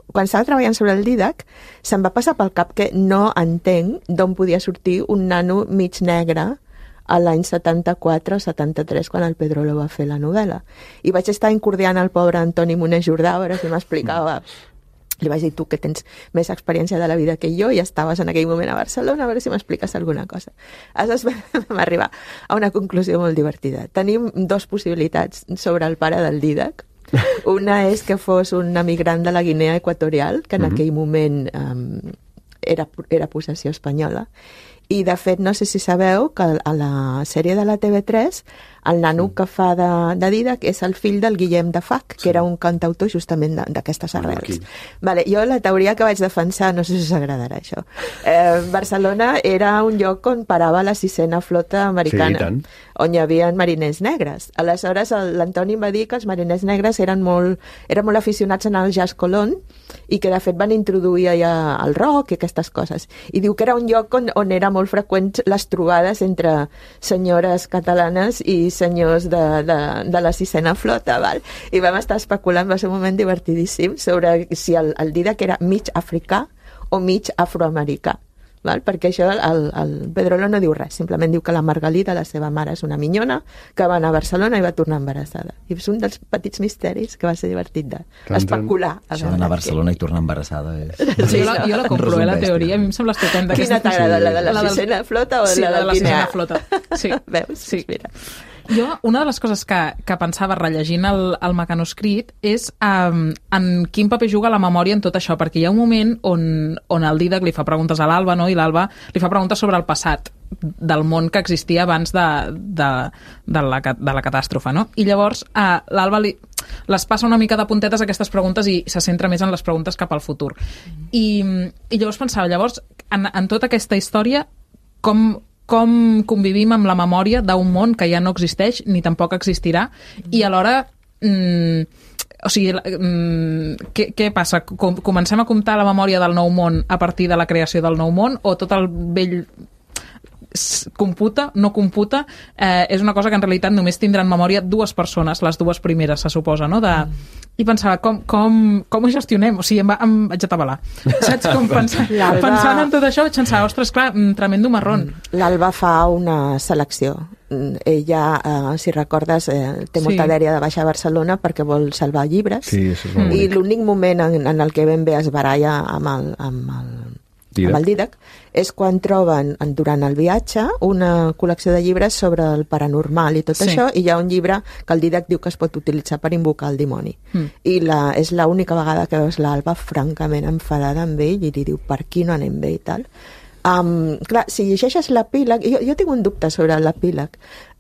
quan estava treballant sobre el Dídac, se'm va passar pel cap que no entenc d'on podia sortir un nano mig negre a l'any setanta-quatre o setanta-tres, quan el Pedrolo va fer la novel·la. I vaig estar incordiant el pobre Antoni Moner Jordà, a veure si m'explicava. Li vaig dir, tu que tens més experiència de la vida que jo i estaves en aquell moment a Barcelona, a veure si m'expliques alguna cosa. Aleshores vam arribar a una conclusió molt divertida. Tenim dos possibilitats sobre el pare del Dídac. Una és que fos un emigrant de la Guinea Equatorial, que en uh-huh. aquell moment um, era, era possessió espanyola. I, de fet, no sé si sabeu que a la sèrie de la T V tres el nano que fa de, de Dídac és el fill del Guillem de Fac, que sí. era un cantautor justament d'aquestes arrels. Vale, jo la teoria que vaig defensar, no sé si us agradarà això, eh, Barcelona era un lloc on parava la sisena flota americana. Sí, on hi havia mariners negres. Aleshores, l'Antoni em va dir que els mariners negres eren molt, eren molt aficionats en el jazz colón i que, de fet, van introduir allà el rock i aquestes coses. I diu que era un lloc on, on era molt freqüent les trobades entre senyores catalanes i senyors de, de, de la sisena flota, val? I vam estar especulant, va ser un moment divertidíssim, sobre si el, el Dídac era mig africà o mig afroamericà. Val? Perquè això el, el Pedrolo no diu res, simplement diu que la Margalida, la seva mare, és una minyona que va anar a Barcelona i va tornar embarassada. I és un dels petits misteris que va ser divertit d'especular. Això d'anar a Barcelona i tornar embarassada és... Sí, jo, la, jo la compro, eh, la teoria, a mi em sembla estupenda. Quina t'agrada, la de la, la sisena flota o sí, la, la de la sisena flota? Sí. Veus? Sí. Mira. Jo, una de les coses que, que pensava rellegint el, el mecanoscrit és um, en quin paper juga la memòria en tot això, perquè hi ha un moment on, on el Dídac li fa preguntes a l'Alba, no? I l'Alba li fa preguntes sobre el passat del món que existia abans de, de, de, la, de la catàstrofe, no? I llavors uh, l'Alba li, les passa una mica de puntetes aquestes preguntes i se centra més en les preguntes cap al futur. I, i llavors pensava, llavors, en, en tota aquesta història, com... com convivim amb la memòria d'un món que ja no existeix ni tampoc existirà i alhora mm, o sigui, mm, què, què passa? Com, comencem a comptar la memòria del nou món a partir de la creació del nou món o tot el vell computa, no computa, eh, és una cosa que en realitat només tindran memòria dues persones, les dues primeres, se suposa, no? De... I pensava, com, com, com ho gestionem? O sigui, em, va, em vaig atabalar. Saps? Com pensant, pensant en tot això, vaig pensar, ostres, clar, tremendo marrón. L'Alba fa una selecció. Ella, eh, si recordes, eh, té molta Sí. dèria de baixar a Barcelona perquè vol salvar llibres. Sí, això és molt I bonic. l'únic moment en, en el que ben bé es baralla amb el, amb el, Dídac. amb el Dídac és quan troben, en- durant el viatge, una col·lecció de llibres sobre el paranormal i tot Sí. això, i hi ha un llibre que el Dídac diu que es pot utilitzar per invocar el dimoni. Mm. I la, és l'única vegada que veus l'Alba francament enfadada amb ell i li diu per qui no anem bé i tal. Um, clar, si llegeixes l'epíleg, jo, jo tinc un dubte sobre l'epíleg.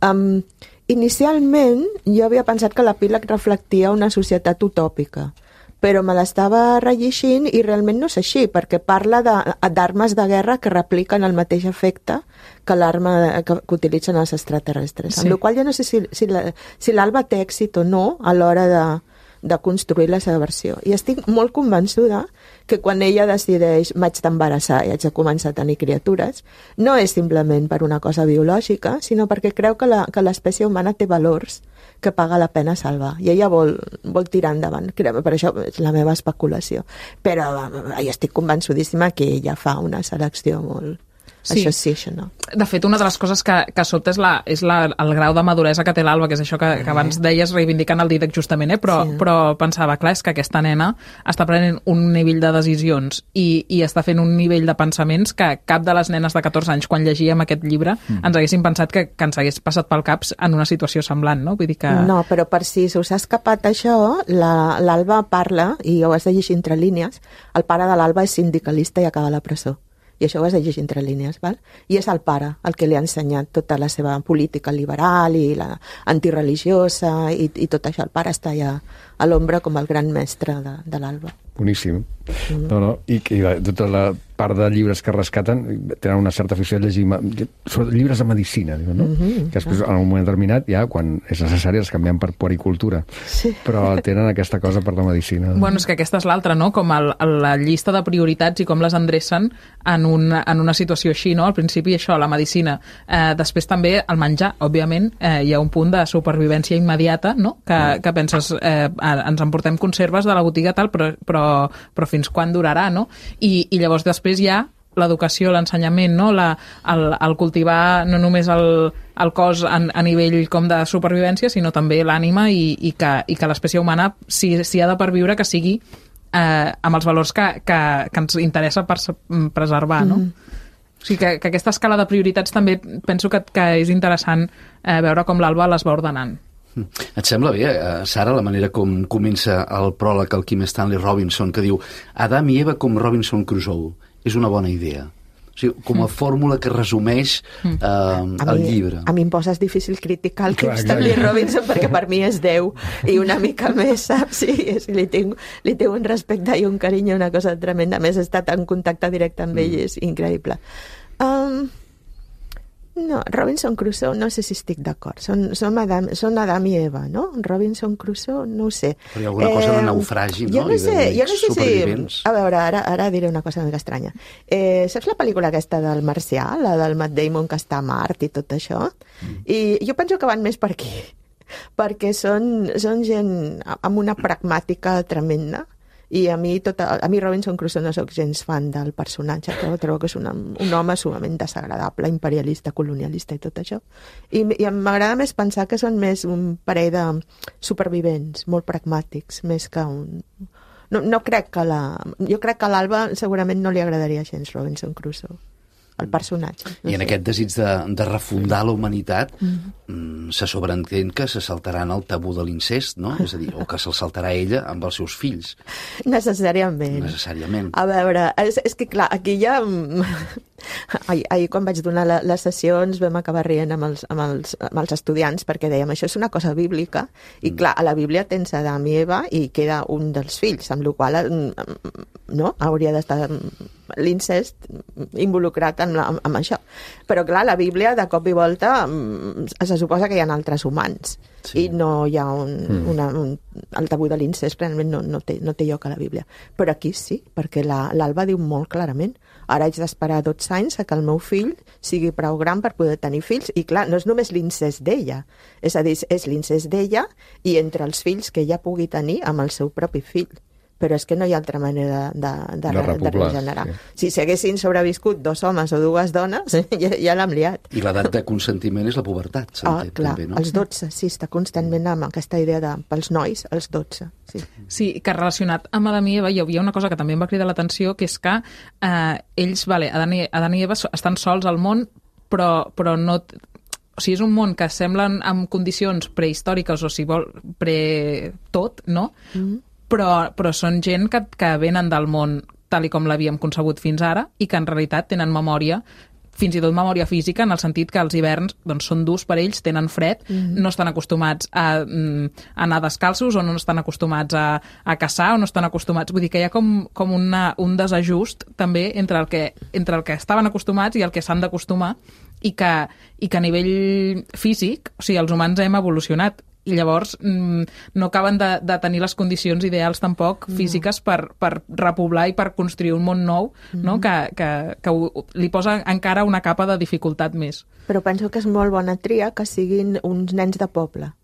Um, inicialment jo havia pensat que l'epíleg reflectia una societat utòpica, però me l'estava rellegint i realment no és així, perquè parla de- d'armes de, de guerra que repliquen el mateix efecte que l'arma que, que utilitzen els extraterrestres. Sí. Amb la qual jo no sé si, si la- si l'Alba té èxit o no a l'hora de, de construir la seva versió. I estic molt convençuda que quan ella decideix m'haig d'embarassar i haig de començar a tenir criatures, no és simplement per una cosa biològica, sinó perquè creu que la- que l'espècie humana té valors que paga la pena salvar. I ella vol, vol tirar endavant. Creu- Per això és la meva especulació. Però eh, jo estic convençudíssima que ella fa una selecció molt... Sí. Això sí, això no. De fet, una de les coses que, que sobta és, la, és la, el grau de maduresa que té l'Alba, que és això que, que abans deies reivindicant el Dídac justament, eh? però, Sí. però pensava, clar, és que aquesta nena està prenent un nivell de decisions i, i està fent un nivell de pensaments que cap de les nenes de catorze anys, quan llegíem aquest llibre, mm. ens haguessin pensat que, que ens hagués passat pel cap en una situació semblant, no? Vull dir que... No, però per si us ha escapat això, la- l'Alba parla, i ho has de llegir entre línies, el pare de l'Alba és sindicalista i acaba a la presó. I això ho has de llegir entre línies, val? I és el pare el que li ha ensenyat tota la seva política liberal i la antireligiosa i, i tot això. El pare està allà a l'ombra com el gran mestre de, de l'Alba. Boníssim. Mm. No, no, i, i la, tota la part de llibres que rescaten tenen una certa afició a llegir ma- sobretot llibres de medicina, diuen, no? Mm-hmm. Que després, en un moment determinat, ja, quan és necessari, els canviem per puericultura. Sí. Però tenen aquesta cosa per la medicina. Bueno, és que aquesta és l'altra, no? Com el, el, la llista de prioritats i com les endrecen en, un, en una situació així, no? Al principi això, la medicina. Eh, després també el menjar, òbviament, eh, hi ha un punt de supervivència immediata, no? Que, que penses, eh, ens emportem conserves de la botiga tal, però, però, però fins quan durarà, no? I, i llavors després hi ha l'educació, l'ensenyament, no? La, el, el cultivar no només el, el cos a, a nivell com de supervivència, sinó també l'ànima i, i que, i que l'espècie humana, si, si ha de perviure, que sigui eh, amb els valors que, que, que ens interessa per, preservar, no? Mm. O sigui que, que aquesta escala de prioritats també penso que, que és interessant eh, veure com l'Alba les va ordenant. Et sembla bé, eh, Sara, la manera com comença el pròleg al Kim Stanley Robinson, que diu Adam i Eva com Robinson Crusoe? És una bona idea. O sigui, com a fórmula que resumeix eh, A el mi, llibre. a mi em poses difícil criticar el Kim Clar, clar, Stanley clar. Robinson perquè per mi és Déu i una mica més, saps? Sí, és, li, tinc, li tinc un respecte i un carinyo, una cosa tremenda. A més, he estat en contacte directe amb ell, és increïble. Um, No, Robinson Crusoe no sé si estic d'acord. Són, són, Adam, són Adam i Eva, no? Robinson Crusoe, no ho sé. Però hi ha alguna cosa eh, de naufragi, no? Jo no sé, jo no sé si... A veure, ara, ara diré una cosa una mica estranya. Eh, saps la pel·lícula aquesta del Marcià, la del Matt Damon que està a Mart i tot això? Mm. I jo penso que van més per aquí, perquè són, són gent amb una pragmàtica tremenda. I a mi, tota, a mi Robinson Crusoe no sóc gens fan del personatge, però trobo que és una, un home sumament desagradable, imperialista, colonialista i tot això. I, i m'agrada més pensar que són més un parell de supervivents, molt pragmàtics, més que un... No, no crec que la... Jo crec que a l'Alba segurament no li agradaria gens Robinson Crusoe, el personatge. No I en sé. aquest desig de, de refundar la humanitat Mm-hmm. mm, se sobreentén que se saltaran el tabú de l'incest, no? És a dir, o que se'l saltarà ella amb els seus fills. Necessàriament. Necessàriament. A veure, és, és que clar, aquí ja... Ahir, ahir quan vaig donar la, les sessions vam acabar rient amb els, amb, els, amb els estudiants perquè dèiem, això és una cosa bíblica i clar, a la Bíblia tens Adam i Eva i queda un dels fills, amb la qual cosa no? Hauria d'estar l'incest involucrat en, la, en això. Però clar, la Bíblia de cop i volta se suposa que hi ha altres humans sí. i no hi ha un, mm. una, un, el tabú de l'incest realment no, no, té, no té lloc a la Bíblia. Però aquí sí, perquè l'Alba diu molt clarament, ara haig d'esperar dotze anys a que el meu fill sigui prou gran per poder tenir fills. I clar, no és només l'incest d'ella, és a dir, és l'incest d'ella i entre els fills que ella pugui tenir amb el seu propi fill. Però és que no hi ha altra manera de, de, de, de, de regenerar. Sí. Si s'haguessin sobreviscut dos homes o dues dones, ja, ja l'hem liat. I l'edat de consentiment és la pubertat, s'entén, ah, clar, també, no? Els dotze, sí, està constantment amb aquesta idea de, pels nois, els dotze. Sí. sí, que relacionat amb Adam i Eva hi havia una cosa que també em va cridar l'atenció, que és que eh, ells, vale, Adam i, Adam i Eva estan sols al món, però, però no... O sigui, és un món que semblen amb condicions prehistòriques, o si vol, pre-tot, no? Mm-hmm. Però, però són gent que, que venen del món tal i com l'havíem concebut fins ara i que en realitat tenen memòria, fins i tot memòria física, en el sentit que els hiverns doncs, són durs per ells, tenen fred, mm-hmm. no estan acostumats a, a anar descalços o no estan acostumats a, a caçar o no estan acostumats... Vull dir que hi ha com, com una, un desajust també entre el, que, entre el que estaven acostumats i el que s'han d'acostumar i que, i que a nivell físic, o sigui, els humans hem evolucionat i llavors mm, no acaben de, de tenir les condicions ideals tampoc no. físiques per, per repoblar i per construir un món nou, mm-hmm. no? que, que, que ho, li posa encara una capa de dificultat més. Però penso que és molt bona tria que siguin uns nens de poble,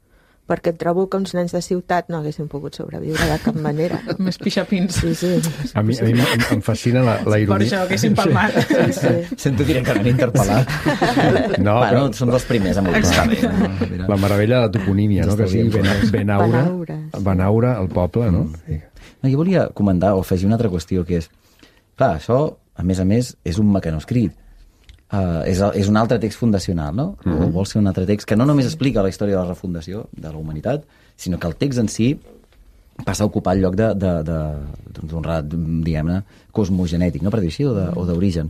perquè trobo que uns nens de ciutat no haguessin pogut sobreviure de cap manera. Més pixapins. Sí, sí. A mi, a mi em fascina la, la ironia. Per això haguessin palmat. Sí, sí. Sento directament interpel·lat. No, bueno, però... som dels primers amb el La meravella de la toponímia, no? Que sigui Ben- Benaura, Benaura, el poble, no? Sí. No, jo volia comentar o afegir una altra qüestió, que és... Clar, això, a més a més, és un mecanoscrit. Uh, és, és un altre text fundacional, no? Mm-hmm. O vol ser un altre text que no només explica la història de la refundació de la humanitat, sinó que el text en si passa a ocupar el lloc de, de, de, d'un relat, diguem-ne, cosmogenètic, no? Per dir així, o de, o d'origen.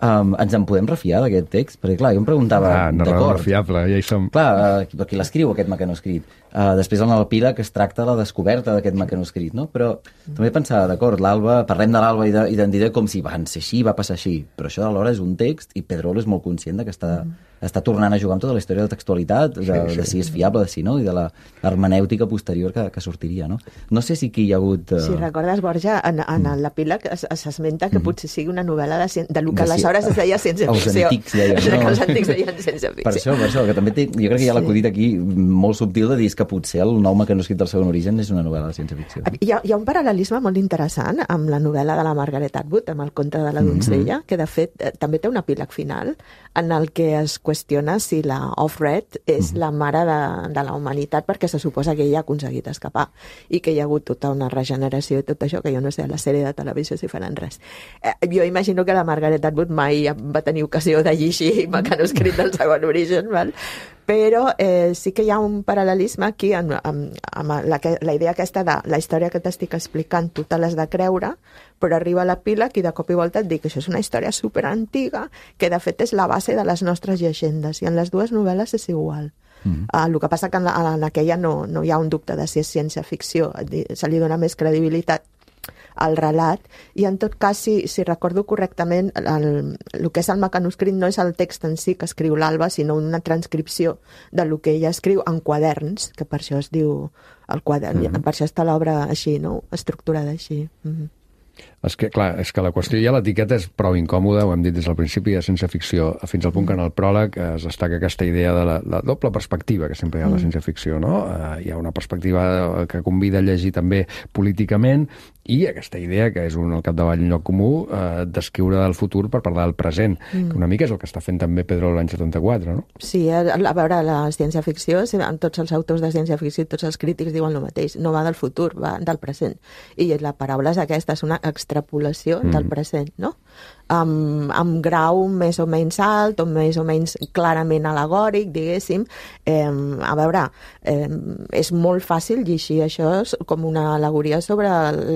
Um, ens en podem refiar d'aquest text? Perquè, clar, jo em preguntava... Ah, no, no, no, fiable, ja hi som. Clar, uh, qui l'escriu, aquest mecanoscrit? Uh, després en l'epíleg es tracta la descoberta d'aquest mecanoscrit, no? Però mm. també pensava, d'acord, l'Alba, parlem de l'Alba i d'identitat com si van ser així, va passar així, però això alhora és un text i Pedrolo és molt conscient de que està, mm. està tornant a jugar amb tota la història de textualitat, de, sí, sí. de si és fiable, de si no, i de la hermenèutica posterior que, que sortiria, no? No sé si aquí hi ha hagut... Uh... Si recordes, Borja, en, en mm. l'epíleg s'esmenta que mm. potser sigui una novel·la de, de lo que de aleshores es deia ciència-ficció. Els antics deien, no? Que els antics deien ciència-ficció. Per això, per això, que també té, jo crec que hi ha l'acudit aquí molt subtil de dir que potser el nou mecanoscrit del segon origen és una novel·la de ciència-ficció. Hi ha, hi ha un paral·lelisme molt interessant amb la novel·la de la Margaret Atwood, amb el conte de la donzella, mm-hmm. que de fet eh, també té un epíleg final en el que es qüestiona si la Offred és mm-hmm. la mare de, de la humanitat, perquè se suposa que ella ha aconseguit escapar i que hi ha hagut tota una regeneració i tot això, que jo no sé a la sèrie de televisió si faran res. Eh, jo imagino que la Margaret Atwood mai va tenir ocasió de llegir mecanoscrit del segon origen, val? Però eh, sí que hi ha un paral·lelisme aquí amb, amb, amb la, la idea aquesta de la història que t'estic explicant, tu te l'has de creure, però arriba a l'epíleg i de cop i volta et dic que això és una història superantiga, que de fet és la base de les nostres llegendes, i en les dues novel·les és igual. Mm. Uh, el que passa que en, la, en aquella no, no hi ha un dubte de si és ciència-ficció, se li dona més credibilitat el relat, i en tot cas, si, si recordo correctament, el, el que és el mecanoscrit no és el text en si que escriu l'Alba, sinó una transcripció de lo que ella escriu en quaderns, que per això es diu el quadern, mm-hmm. per això està l'obra així, no? Estructurada així. Mm-hmm. És que, clar, és que la qüestió ja l'etiqueta és prou incòmoda, ho hem dit des del principi, de ciència-ficció, fins al punt que en el pròleg es destaca aquesta idea de la, la doble perspectiva que sempre hi ha a la ciència-ficció, no? Uh, hi ha una perspectiva que convida a llegir també políticament, i aquesta idea, que és un al capdavall un lloc comú, eh, d'escriure del futur per parlar del present, mm. que una mica és el que està fent també Pedro l'any setanta-quatre, no? Sí, a, a veure, la ciència-ficció, tots els autors de ciència-ficció, tots els crítics diuen el mateix, no va del futur, va del present. I la paraula és aquesta, és una extrapolació mm. del present, no? Amb, amb grau més o menys alt o més o menys clarament alegòric, diguéssim. Eh, a veure, eh, és molt fàcil llegir això com una al·legoria sobre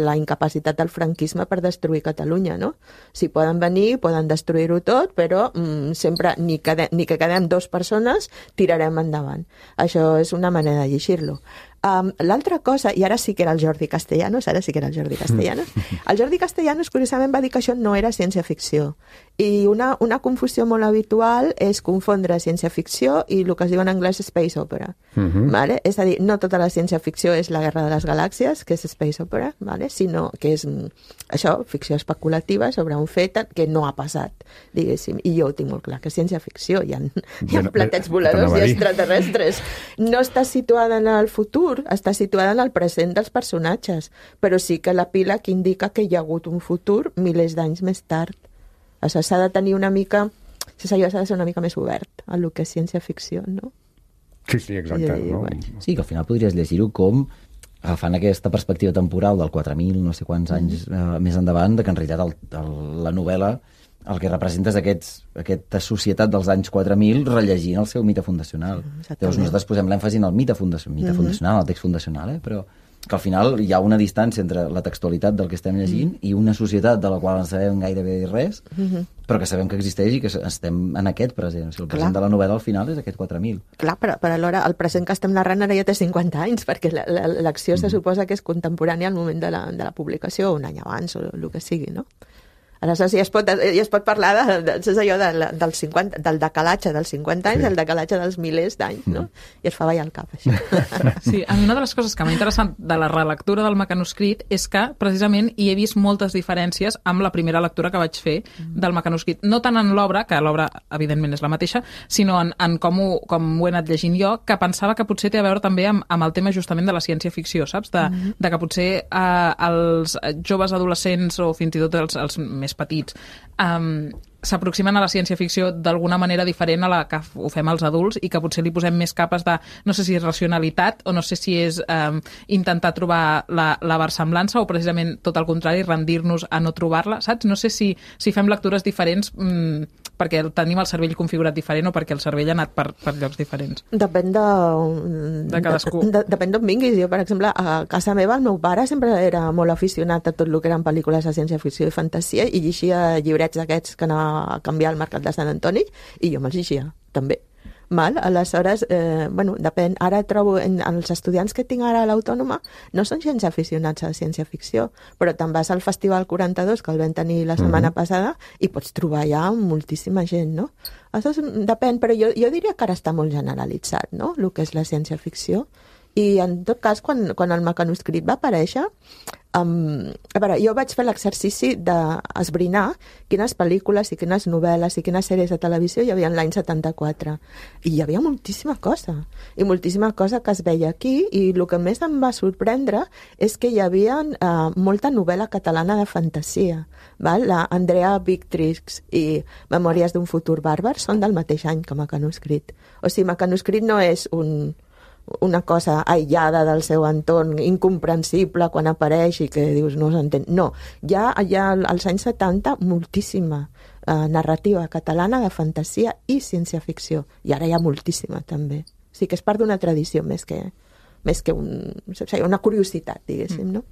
la incapacitat del franquisme per destruir Catalunya, no? Si poden venir, poden destruir-ho tot, però mm, sempre, ni, quedem, ni que quedem dues persones, tirarem endavant. Això és una manera de llegir-lo. Um, l'altra cosa, i ara sí que era el Jordi Castellanos, ara sí que era el Jordi Castellanos, el Jordi Castellanos curiosament va dir que això no era ciència-ficció. I una, una confusió molt habitual és confondre ciència-ficció i el que es diu en anglès space opera. Uh-huh. Vale? És a dir, no tota la ciència-ficció és la Guerra de les Galàxies, que és space opera, vale? Sinó que és això, ficció especulativa sobre un fet que no ha passat, diguéssim. I jo ho tinc molt clar, que ciència-ficció, hi ha, hi ha platets voladors i extraterrestres. No està situada en el futur, està situada en el present dels personatges, però sí que l'epíleg indica que hi ha hagut un futur milers d'anys més tard. Això s'ha de tenir una mica, s'ha de ser una mica més obert a el que és ciència-ficció, no? Sí, sí, exacte. I, no? bueno. Sí, que al final podries llegir-ho com agafant aquesta perspectiva temporal del quatre mil, no sé quants anys eh, més endavant, de que en realitat el, el, la novel·la el que representa és aquests, aquesta societat dels anys quatre mil rellegint el seu mite fundacional. Llavors nosaltres posem l'èmfasi en el mite, fundacional, mite mm-hmm. fundacional, el text fundacional, eh? Però que al final hi ha una distància entre la textualitat del que estem llegint mm. i una societat de la qual no sabem gairebé res, mm-hmm. però que sabem que existeix i que estem en aquest present. O sigui, el present Clar. De la novel·la al final és aquest quatre mil. Clar, però, però alhora el present que estem narrant ara ja té cinquanta anys, perquè l'acció mm. se suposa que és contemporània al moment de la, de la publicació, un any abans o el que sigui, no? Aleshores, ja es pot, ja es pot parlar de, de, de, allò de, del, cinquanta, del decalatge dels cinquanta anys, sí. el decalatge dels milers d'anys, no? I es fa ballar el cap, això. Sí, a mi una de les coses que m'ha interessat de la relectura del mecanoscrit és que, precisament, hi he vist moltes diferències amb la primera lectura que vaig fer del mecanoscrit. No tant en l'obra, que l'obra, evidentment, és la mateixa, sinó en, en com, ho, com ho he anat llegint jo, que pensava que potser té a veure també amb, amb el tema justament de la ciència-ficció, saps? De, mm-hmm. de que potser eh, els joves adolescents o fins i tot els, els més petits um, s'aproximen a la ciència-ficció d'alguna manera diferent a la que ho fem els adults i que potser li posem més capes de, no sé si és racionalitat o no sé si és um, intentar trobar la, la versemblança o precisament tot el contrari, rendir-nos a no trobar-la, saps? No sé si, si fem lectures diferents um, perquè tenim el cervell configurat diferent o perquè el cervell ha anat per, per llocs diferents. Depèn de... De cadascú. De, de, depèn d'on vinguis. Jo, per exemple, a casa meva el meu pare sempre era molt aficionat a tot el que eren pel·lícules de ciència-ficció i fantasia i llegia llibrets d'aquests que anava a canviar al Mercat de Sant Antoni i jo me'ls llegia, també. Mal? Aleshores, eh, bueno, depèn. Ara trobo, en, en els estudiants que tinc ara a l'Autònoma no són gens aficionats a ciència-ficció, però te'n vas al Festival quaranta-dos, que el vam tenir la setmana uh-huh. passada, i pots trobar ja moltíssima gent, no? Aleshores, depèn, però jo, jo diria que ara està molt generalitzat, no?, el que és la ciència-ficció. I, en tot cas, quan, quan el mecanoscrit va aparèixer, um, a veure, jo vaig fer l'exercici d'esbrinar quines pel·lícules i quines novel·les i quines sèries de televisió hi havia l'any setanta-quatre. I hi havia moltíssima cosa. I moltíssima cosa que es veia aquí. I el que més em va sorprendre és que hi havia uh, molta novel·la catalana de fantasia. Val? La Andrea Victrix i Memòries d'un futur bàrbar són del mateix any que Mecanoscrit. O sigui, Mecanoscrit no és un... una cosa aïllada del seu entorn, incomprensible quan apareix i que dius no s'entén. No, hi ha, hi ha als anys setanta moltíssima eh, narrativa catalana de fantasia i ciència-ficció. I ara hi ha moltíssima, també. O sigui que és part d'una tradició més que, més que un, una curiositat, diguéssim, no?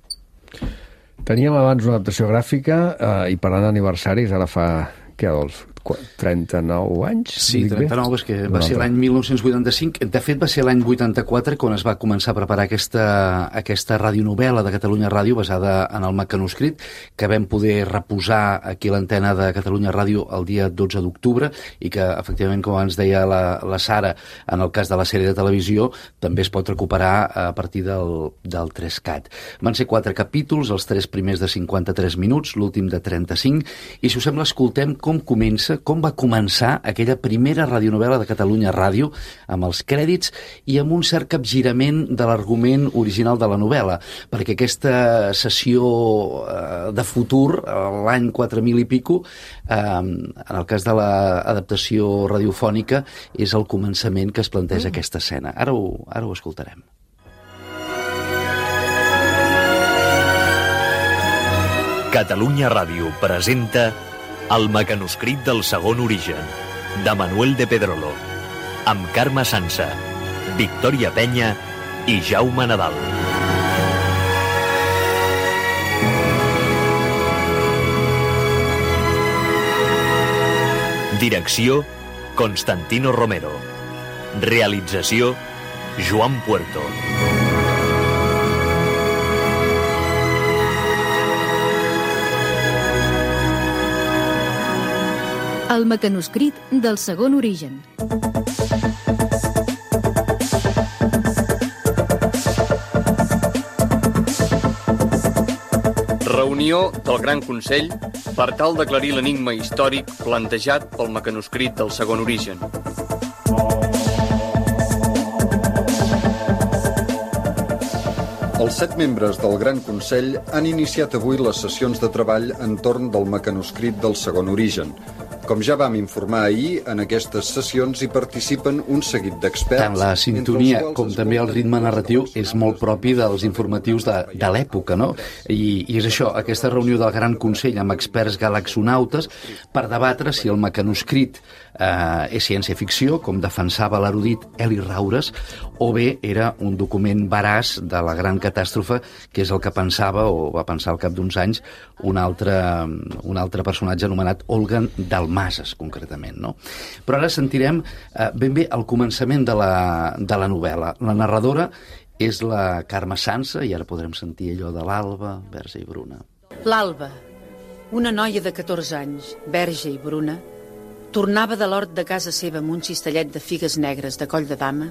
Teníem abans una adaptació gràfica eh, i parlant d'aniversaris, ara fa, què, Adolf? trenta-nou anys? Sí, trenta-nou, és que va ser l'any mil nou-cents vuitanta-cinc. De fet, va ser l'any vuitanta-quatre quan es va començar a preparar aquesta, aquesta radionovel·la de Catalunya Ràdio basada en el mecanoscrit, que vam poder reposar aquí a l'antena de Catalunya Ràdio el dia dotze d'octubre i que, efectivament, com ens deia la, la Sara, en el cas de la sèrie de televisió, també es pot recuperar a partir del, del tres cat. Van ser quatre capítols, els tres primers de cinquanta-tres minuts, l'últim de trenta-cinc, i si us sembla escoltem com comença, com va començar aquella primera radionovel·la de Catalunya Ràdio, amb els crèdits i amb un cert capgirament de l'argument original de la novel·la, perquè aquesta sessió eh, de futur, l'any quatre mil i pico, eh, en el cas de l'adaptació radiofònica, és el començament que es planteja mm. aquesta escena. Ara ho, ara ho escoltarem. Catalunya Ràdio presenta El mecanoscrit del segon origen, de Manuel de Pedrolo, amb Carme Sansa, Victòria Penya i Jaume Nadal. Direcció, Constantino Romero. Realització, Joan Puerto. El mecanoscrit del segon origen. Reunió del Gran Consell per tal d'aclarir l'enigma històric plantejat pel mecanoscrit del segon origen. Els set membres del Gran Consell han iniciat avui les sessions de treball entorn del mecanoscrit del segon origen. Com ja vam informar ahir, en aquestes sessions hi participen un seguit d'experts. Tant la sintonia com també el ritme narratiu és molt propi dels informatius de, de l'època, no? I, I és això, aquesta reunió del Gran Consell amb experts galaxonautes per debatre si el mecanoscrit eh, és ciència-ficció, com defensava l'erudit Eli Raures, o bé era un document veraç de la gran catàstrofe, que és el que pensava, o va pensar al cap d'uns anys, un altre, un altre personatge anomenat Olgan Dalmases, concretament, no? Però ara sentirem eh, ben bé el començament de la, de la novel·la. La narradora és la Carme Sansa, i ara podrem sentir allò de l'Alba, verge i bruna. L'Alba, una noia de catorze anys, verge i bruna, tornava de l'hort de casa seva amb un cistellet de figues negres de coll de dama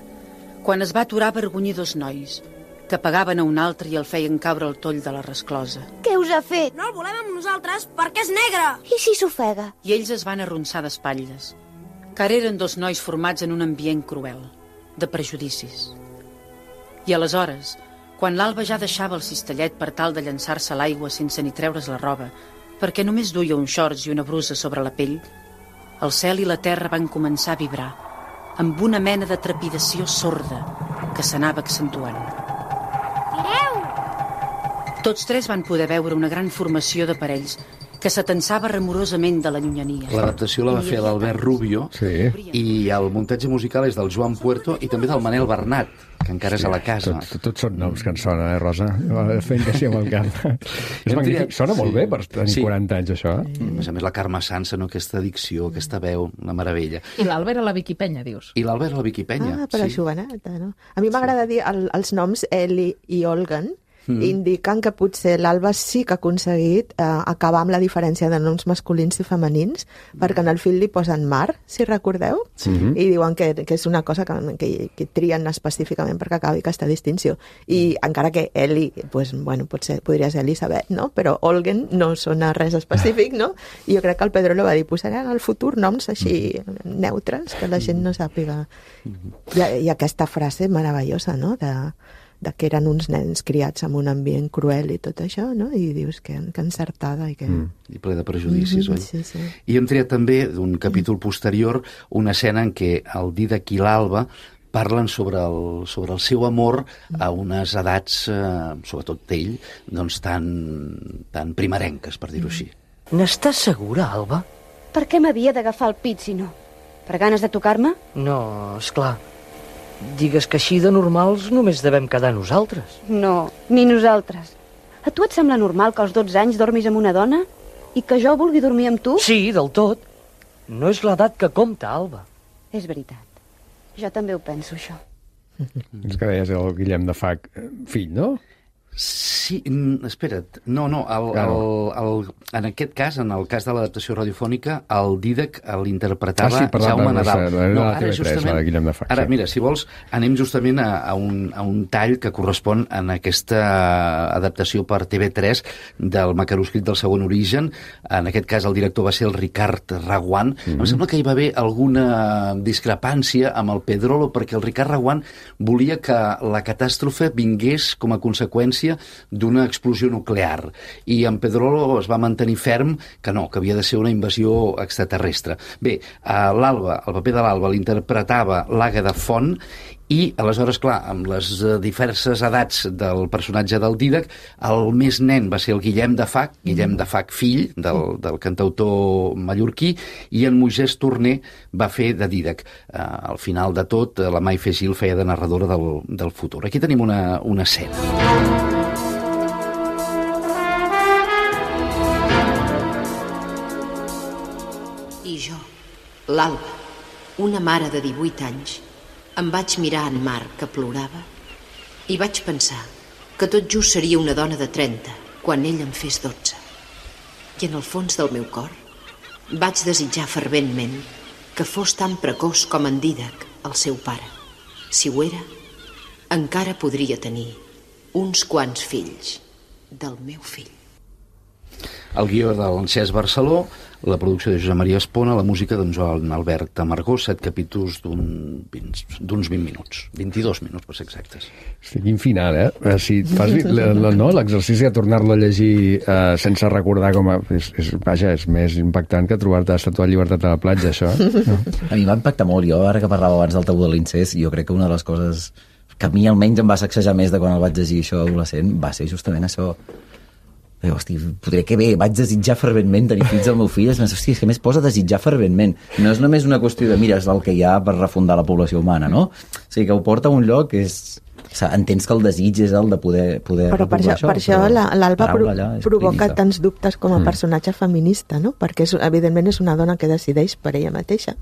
quan es va aturar a vergonyir dos nois que pagaven a un altre i el feien caure al toll de la resclosa. Què us ha fet? No el volem amb nosaltres perquè és negre! I si s'ofega? I ells es van arronsar d'espatlles, car eren dos nois formats en un ambient cruel, de prejudicis. I aleshores, quan l'Alba ja deixava el cistellet per tal de llançar-se a l'aigua sense ni treure's la roba, perquè només duia uns shorts i una brusa sobre la pell, el cel i la terra van començar a vibrar, amb una mena de trepidació sorda que s'anava accentuant. Mireu! Tots tres van poder veure una gran formació de parells que s'atensava remorosament de la llunyania. L'adaptació la va fer l'Albert Rubio, sí. I el muntatge musical és del Joan Puerto i també del Manel Bernat, que encara sí, és a la casa. Tots tot són noms que en sonen, eh, Rosa? Fent que sí amb el cap. És magnífic. Sona molt sí. bé per tenir sí. quaranta anys, això. Mm. A més a més, la Carme Sansa, no? Aquesta dicció, aquesta veu, una meravella. I l'Albert a la Vicky Penya, dius? I l'Albert a la Vicky Penya. Ah, però sí. joveneta, no? A mi m'agrada sí. dir el, els noms Eli i Olgan, Mm. indiquen que potser l'Alba sí que ha aconseguit eh, acabar amb la diferència de noms masculins i femenins, mm. perquè en el fil li posen Mar, si recordeu, sí. i diuen que, que és una cosa que, que, que trien específicament perquè acabi aquesta distinció. I mm. encara que Eli, pues, bueno, potser podria ser Elisabet, no? Però Olgen no sona res específic, no? I jo crec que el Pedrolo va dir, posaran al futur noms així mm. neutres, que la gent no sàpiga. Mm. I, I aquesta frase meravellosa, no?, de... de que eren uns nens criats en un ambient cruel i tot això, no? I dius que, que encertada i que... Mm, I ple de prejudicis, mm-hmm, oi? Sí, sí. I hem triat també d'un capítol posterior una escena en què el Dídac i l'Alba parlen sobre el, sobre el seu amor a unes edats, eh, sobretot ell, doncs tan, tan primerenques, per dir-ho així. N'estàs segura, Alba? Per què m'havia d'agafar el pit, si no? Per ganes de tocar-me? No, esclar. Digues que així de normals només devem quedar nosaltres. No, ni nosaltres. A tu et sembla normal que als dotze anys dormis amb una dona i que jo vulgui dormir amb tu? Sí, del tot. No és l'edat que compta, Alba. És veritat. Jo també ho penso, això. És que deies el Guillem de Fac, fill, no? Sí, espera't, no, no, el, el, el, en aquest cas, en el cas de l'adaptació radiofònica, el Dídac l'interpretava ah, sí, Jaume Nadal. No, ara, justament, de Fac, ara, sí. mira, si vols, anem justament a, a, un, a un tall que correspon en aquesta adaptació per T V tres del Mecanoscrit del segon origen. En aquest cas, el director va ser el Ricard Raguant. Mm-hmm. Em sembla que hi va haver alguna discrepància amb el Pedrolo, perquè el Ricard Raguant volia que la catàstrofe vingués com a conseqüència d'una explosió nuclear. I en Pedrolo es va mantenir ferm que no, que havia de ser una invasió extraterrestre. Bé, l'Alba, el paper de l'Alba l'interpretava l'Àgueda Font i, aleshores, clar, amb les diverses edats del personatge del Dídac, el més nen va ser el Guillem de Fac, Guillem de Fac fill del, del cantautor mallorquí, i en Moisès Torner va fer de Dídac. Uh, al final de tot, la Maife Gil feia de narradora del, del futur. Aquí tenim una, una escena. I jo, l'Alba, una mare de divuit anys, em vaig mirar en Marc, que plorava, i vaig pensar que tot just seria una dona de trenta quan ell en fes dotze. I en el fons del meu cor vaig desitjar ferventment que fos tan precoç com en Dídac, el seu pare. Si ho era, encara podria tenir uns quants fills del meu fill. El guió del Cesc Barceló, la producció de Josep Maria Espona, la música d'en Joan Albert Amargós, set capítols d'uns vint minuts, vint-i-dos minuts, per ser exactes. Sí, quin final, eh? Si fas no, l'exercici de tornar-lo a llegir eh, sense recordar com a... És, és, vaja, és més impactant que trobar-te estatuat llibertat a la platja, això. No? A mi va impactar molt. Jo, ara que parlava abans del tabú de l'incest, jo crec que una de les coses que a mi almenys em va sacsejar més de quan el vaig llegir això adolescent va ser justament això. Però, hosti, podria que bé, vaig desitjar ferventment tenir fills del meu fill. És més, hosti, és que més posa desitjar ferventment. No és només una qüestió de, mira, és el que hi ha per refundar la població humana, no? O sigui, que ho porta a un lloc que és... O sigui, entens que el desig és el de poder, poder però per això, això, per això l'Alba pro provoca clínica. Tants dubtes com a personatge mm. feminista, no? Perquè és, evidentment és una dona que decideix per ella mateixa,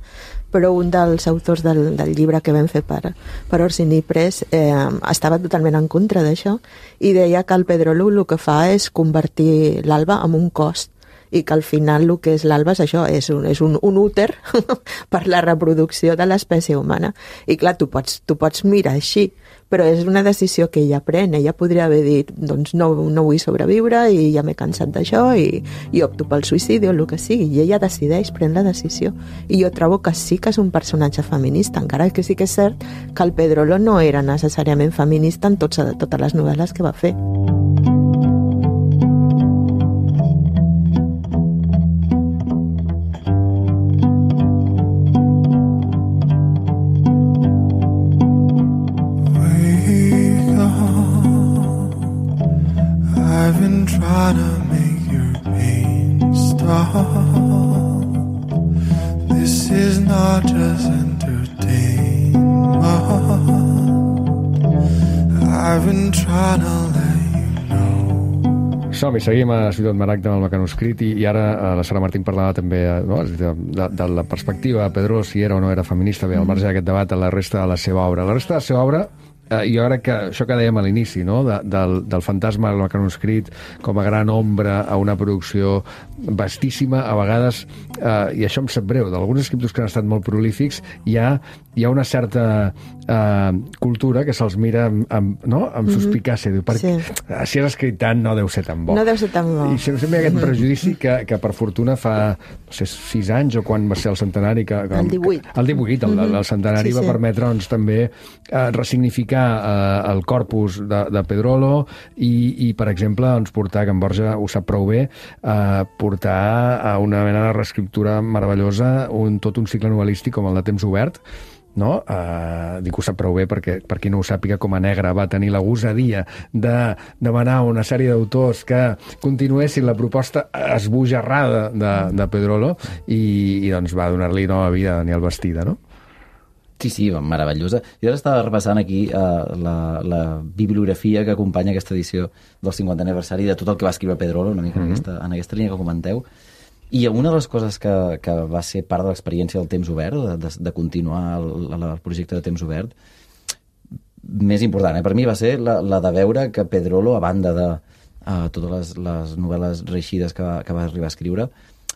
però un dels autors del, del llibre que vam fer per, per Orsini Press eh, estava totalment en contra d'això i deia que el Pedrolo el que fa és convertir l'Alba en un cost i que al final el que és l'Alba és això, és un, és un, un úter per la reproducció de l'espècie humana. I clar, tu pots, tu pots mirar així, però és una decisió que ella pren. Ella podria haver dit, doncs no, no vull sobreviure i ja m'he cansat d'això i, i opto pel suïcidi o el que sigui. I ella decideix, pren la decisió. I jo trobo que sí que és un personatge feminista, encara que sí que és cert que el Pedrolo no era necessàriament feminista en tots, totes les novel·les que va fer. Trying to make your pain stop. This is not just entertainment. I've been trying to let you know. Som-hi, seguim a Ciutat Maragda amb el Mecanoscrit i, i ara eh, la Sara Martín parlava també no? de, de, de la perspectiva de Pedrolo, si era o no era feminista. Bé, al marge d'aquest debat, a la resta de la seva obra. La resta de la seva obra Uh, jo crec que això que dèiem a l'inici, no? de, del, del fantasma del Mecanoscrit com a gran ombra a una producció vastíssima, a vegades, uh, i això em sap greu, d'alguns escriptors que han estat molt prolífics, hi ha, hi ha una certa uh, cultura que se'ls mira amb, amb, no? amb mm-hmm. suspicàcia. Diu, perquè, sí. Si has escrit tant, no deu ser tan bo. No deu ser tan bo. I sempre hi ha aquest mm-hmm. prejudici que, que per fortuna fa no sé, sis anys, o quan va ser el centenari... Que, que, el divuit. El divuit, el, mm-hmm. el centenari sí, va sí. permetre doncs, també uh, ressignificar Uh, el corpus de, de Pedrolo i, i, per exemple, doncs, portar, que en Borja ho sap prou bé, uh, portar a una mena de reescriptura meravellosa un, tot un cicle novel·lístic com el de Temps Obert, no? Uh, dic que ho sap prou bé perquè, per qui no ho sàpiga, com a Negre va tenir la gosadia de demanar a una sèrie d'autors que continuessin la proposta esbojarrada de, de Pedrolo i, i doncs va donar-li nova vida a Daniel Bastida, no? Sí, sí, meravellosa. Jo ara estava repassant aquí uh, la, la bibliografia que acompanya aquesta edició del cinquantè aniversari de tot el que va escriure Pedrolo, una mica mm-hmm. en, aquesta, en aquesta línia que comenteu, I una de les coses que, que va ser part de l'experiència del temps obert, de, de, de continuar el, el projecte de temps obert, més important, eh? Per mi va ser la, la de veure que Pedrolo, a banda de uh, totes les, les novel·les reeixides que, que va arribar a escriure,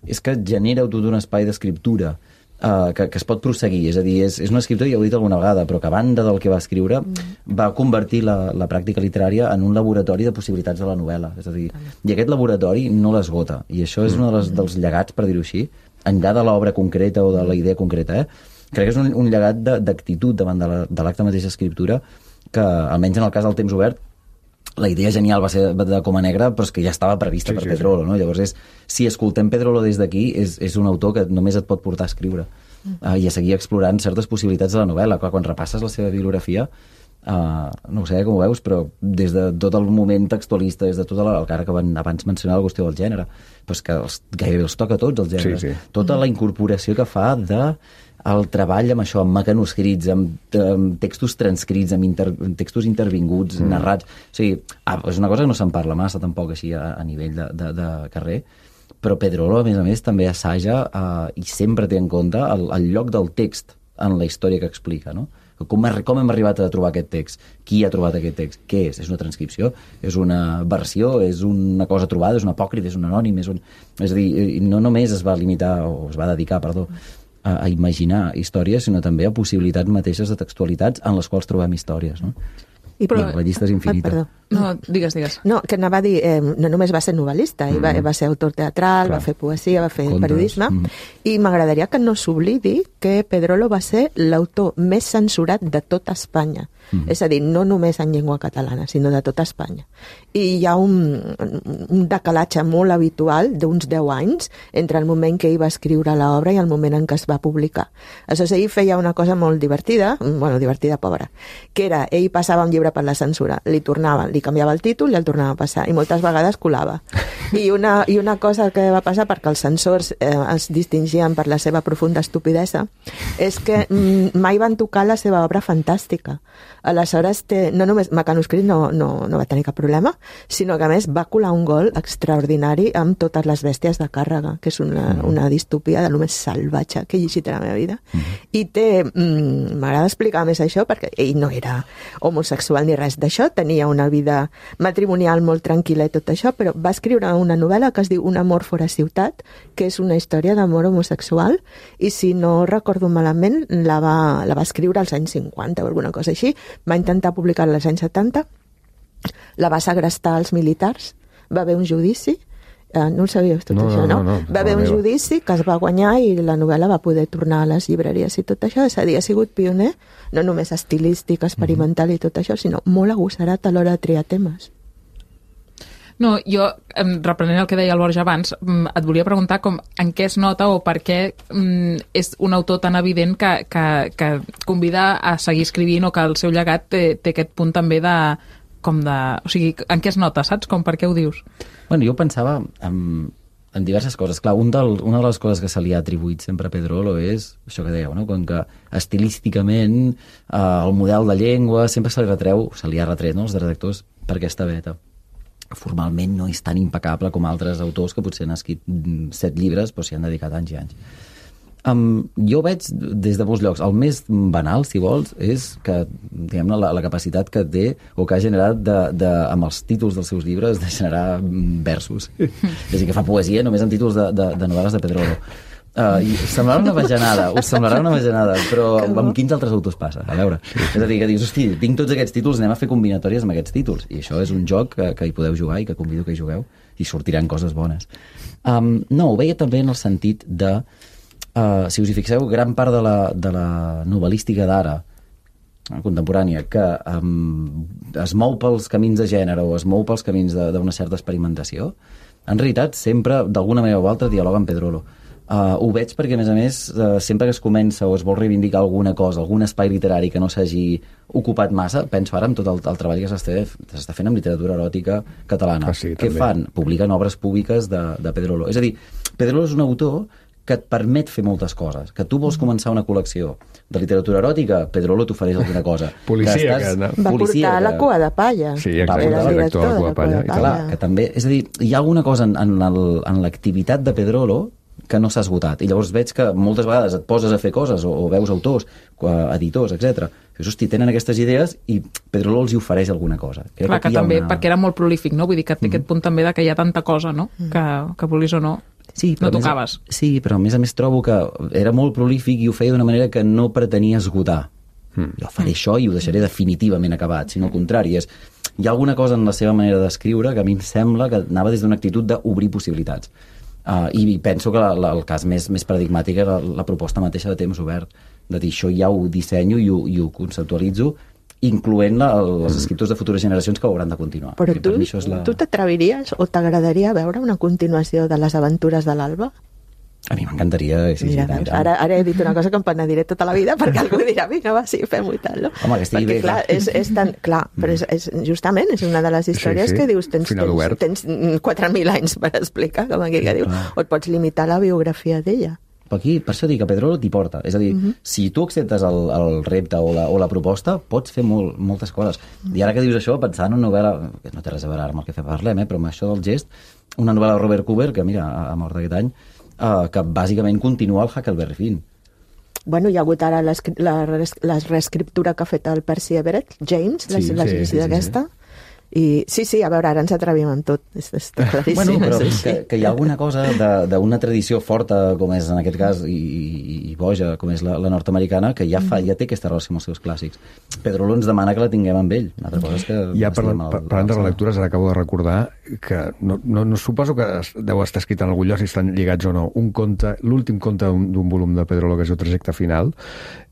és que genera tot un espai d'escriptura uh, que, que es pot prosseguir. És a dir, és, és un escriptor, ja ho he dit alguna vegada, però que a banda del que va escriure mm. va convertir la, la pràctica literària en un laboratori de possibilitats de la novel·la. És a dir, i aquest laboratori no l'esgota. I això és un dels, dels llegats, per dir-ho així, enllà de l'obra concreta o de la idea concreta, eh? Crec que és un, un llegat d'actitud davant de l'acte la, mateixa escriptura que, almenys en el cas del temps obert, la idea genial va ser de Coma Negra, però és que ja estava prevista sí, per sí, Pedrolo, no? Llavors, és, si escoltem Pedrolo des d'aquí, és, és un autor que només et pot portar a escriure mm. uh, i a seguir explorant certes possibilitats de la novel·la. Clar, quan repasses la seva bibliografia, uh, no ho sé com ho veus, però des de tot el moment textualista, des de tota la... Encara que van, abans mencionava la qüestió del gènere, però és que els, gairebé els toca a tots, els gèneres. Sí, sí. Tota la incorporació que fa de... el treball amb això, amb mecanoscrits, amb, amb textos transcrits, amb, inter, amb textos intervinguts, mm. narrats... O sigui, ah, és una cosa que no se'n parla massa tampoc així a, a nivell de, de, de carrer, però Pedrolo, a més a més, també assaja eh, i sempre té en compte el, el lloc del text en la història que explica, no? Com, com hem arribat a trobar aquest text? Qui ha trobat aquest text? Què és? És una transcripció? És una versió? És una cosa trobada? És un apòcrif? És un anònim? És, un... és a dir, no només es va limitar, o es va dedicar, perdó, a, a imaginar històries, sinó també a possibilitats mateixes de textualitats en les quals trobem històries, no? I però, la llista és infinita. Perdó. No, digues, digues. No, que anava a dir, eh, no només va ser novel·lista, mm. va, va ser autor teatral, Clar. va fer poesia, va fer Contes. periodisme, mm. i m'agradaria que no s'oblidi que Pedrolo va ser l'autor més censurat de tota Espanya. Mm. És a dir, no només en llengua catalana, sinó de tota Espanya. I hi ha un, un decalatge molt habitual d'uns deu anys entre el moment que ell va escriure l'obra i el moment en què es va publicar. Aleshores, ell feia una cosa molt divertida, bueno, divertida, pobra, que era, ell passava un llibre per la censura, li tornava, li canviava el títol i el tornava a passar, i moltes vegades colava. I una, i una cosa que va passar, perquè els censors eh, es distingien per la seva profunda estupidesa, és que mm, mai van tocar la seva obra fantàstica. Aleshores, té, no només Mecanoscrit no, no, no va tenir cap problema, sinó que a més va colar un gol extraordinari amb Totes les bèsties de càrrega, que és una, una distopia de lo més salvatge que he llegit a la meva vida. Mm. I té, mm, m'agrada explicar més això, perquè ell no era homosexual ni res d'això, tenia una vida matrimonial molt tranquil·la i tot això, però va escriure una novel·la que es diu Un amor fora ciutat, que és una història d'amor homosexual, i si no recordo malament, la va, la va escriure als anys cinquanta o alguna cosa així, va intentar publicar-la als anys setanta, la va segrestar als militars, va haver un judici, eh, no ho sabíeu tot no, això, no? no, no, no va haver no, un no. judici que es va guanyar i la novel·la va poder tornar a les llibreries i tot això, és a dir, ha sigut pioner, no només estilístic, experimental i tot això, sinó molt agossarat a l'hora de triar temes. No, jo, reprenent el que deia el Borja abans, et volia preguntar com, en què es nota o per què mm, és un autor tan evident que, que, que convida a seguir escrivint o que el seu llegat té, té aquest punt també de, com de... O sigui, en què es nota, saps? Com, per què ho dius? Bueno, jo pensava en, en diverses coses. Clar, un del, una de les coses que se li ha atribuït sempre a Pedrolo és això que dèieu, no? Com que estilísticament eh, el model de llengua sempre se li retreu, se li ha retret, no?, els redactors per aquesta veta. Formalment no és tan impecable com altres autors que potser han escrit set llibres però s'hi han dedicat anys i anys. Um, jo veig des de molts llocs, el més banal, si vols, és que, diguem-ne, la, la capacitat que té o que ha generat de, de, amb els títols dels seus llibres de generar versos. És a dir, que fa poesia només en títols de, de, de novel·les de Pedrolo. Uh, i us semblarà una bajanada, us semblarà una bajanada, però amb quins altres autors passa? A veure, és a dir, que dius, hosti, tinc tots aquests títols, anem a fer combinatòries amb aquests títols, i això és un joc que, que hi podeu jugar i que convido que hi jugueu, i sortiran coses bones. Um, no, ho veia també en el sentit de, uh, si us hi fixeu, gran part de la, de la novel·lística d'ara, contemporània, que um, es mou pels camins de gènere o es mou pels camins d'una certa experimentació, en realitat sempre, d'alguna manera o altra, dialoga amb Pedrolo. Uh, ho veig perquè, a més a més, uh, sempre que es comença o es vol reivindicar alguna cosa, algun espai literari que no s'hagi ocupat massa, penso ara en tot el, el treball que s'està fent amb literatura eròtica catalana. Ah, sí, Què també. fan? Publiquen obres públiques de, de Pedrolo. És a dir, Pedrolo és un autor que et permet fer moltes coses. Que tu vols començar una col·lecció de literatura eròtica, Pedrolo t'ofereix alguna cosa. Policia, que estàs... que no. Va Policia, portar que... la cua de palla. Sí, exacte, va el director de la cua de palla. Clar, que també, és a dir, hi ha alguna cosa en, en, el, en l'activitat de Pedrolo que no s'ha esgotat. I llavors veig que moltes vegades et poses a fer coses, o, o veus autors, editors, etcètera. Dius, hosti, tenen aquestes idees i Pedrolo els hi ofereix alguna cosa. Crec Clar, que, que també, una... perquè era molt prolífic, no? Vull dir que té mm. aquest punt també de que hi ha tanta cosa, no? Mm. Que, que vulguis o no, sí, no tocaves. Més, sí, però a més a més trobo que era molt prolífic i ho feia d'una manera que no pretenia esgotar. Mm. Jo faré mm. això i ho deixaré definitivament acabat, sinó al contrari. És, hi ha alguna cosa en la seva manera d'escriure que a mi em sembla que anava des d'una actitud d'obrir possibilitats. Uh, I penso que la, la, el cas més, més paradigmàtic era la, la proposta mateixa de temps obert, de dir això ja ho dissenyo i ho, i ho conceptualitzo, incloent la, els escriptors de futures generacions que ho hauran de continuar. Però tu, la... tu t'atreviries o t'agradaria veure una continuació de les aventures de l'Alba? A mi m'encantaria. Sí, Mira, sí, ara, ara he dit una cosa que em penediré tota la vida perquè algú dirà, vinga, va, sí, fem-ho i tal, no? Home, que estigui perquè, bé, clar, és, és tan... Clar, però és, és, justament és una de les històries sí, sí. que dius, tens, tens, tens quatre mil anys per explicar, com aquí que diu, o et pots limitar a la biografia d'ella. Per aquí, per això dic que Pedrolo t'hi porta. És a dir, uh-huh. si tu acceptes el, el repte o la, o la proposta, pots fer molt, moltes coses. Uh-huh. I ara que dius això, pensant en una novel·la, que no té res a veure amb el que parlem, eh, però amb això del gest, una novel·la de Robert Cooper, que mira, ha mort aquest any, Uh, que bàsicament continua el Huckleberry Finn. Bueno, hi ha hagut ara la, la reescriptura que ha fet el Percy Everett, James, sí, la sí, sí, d'aquesta. Sí, sí. I sí, sí, a veure, ara ens atrevim en tot. És, és claríssim. Bueno, però sí, que, que hi ha alguna cosa d'una tradició forta, com és en aquest cas, i, i, i boja, com és la, la nord-americana, que ja, fa, ja té aquesta relació amb els seus clàssics. Pedrolo ens demana que la tinguem amb ell. Una altra cosa és que... Ja parlant, al, parlant de relectures, ara acabo de recordar que no, no, no suposo que deu estar escrit en algun lloc, si estan lligats o no, un conte, l'últim conte d'un volum de Pedrolo, que és el trajecte final,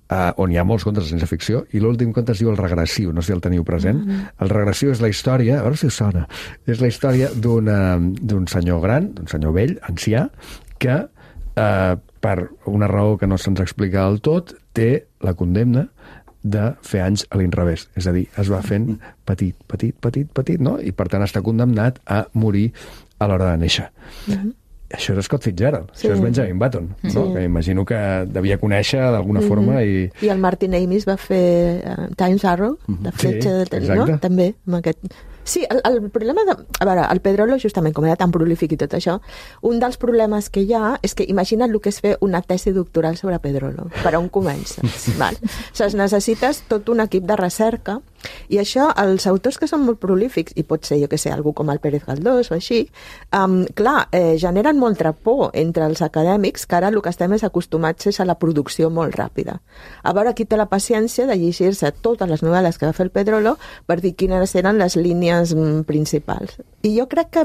Uh, on hi ha molts contes de ciència ficció, i l'últim conte es diu El regressiu, no sé si el teniu present. Mm-hmm. El regressiu és la història, a veure si us sona, és la història d'un senyor gran, d'un senyor vell, ancià, que uh, per una raó que no se'ns explica del tot, té la condemna de fer anys a l'inrevés. És a dir, es va fent petit, petit, petit, petit, no? I per tant està condemnat a morir a l'hora de néixer. Mm-hmm. Això és Scott Fitzgerald, sí. Això és Benjamin Button, no? Sí. Que imagino que devia conèixer d'alguna mm-hmm. forma. I... I el Martin Amis va fer uh, Times Arrow, mm-hmm. la fletxa sí, de... no? També, amb aquest... Sí, el, el problema de... A veure, el Pedrolo, justament, com era tan prolífic i tot això, un dels problemes que hi ha és que imagina't el que és fer una tesi doctoral sobre Pedrolo, per on comences. Val? O sigui, necessites tot un equip de recerca, i això, els autors que són molt prolífics, i pot ser, jo que sé, algú com el Pérez Galdós o així, um, clar, eh, generen molta por entre els acadèmics, que ara el que estem és acostumats és a la producció molt ràpida. A veure, qui té la paciència de llegir-se totes les novel·les que va fer el Pedrolo per dir quines eren les línies principals. I jo crec que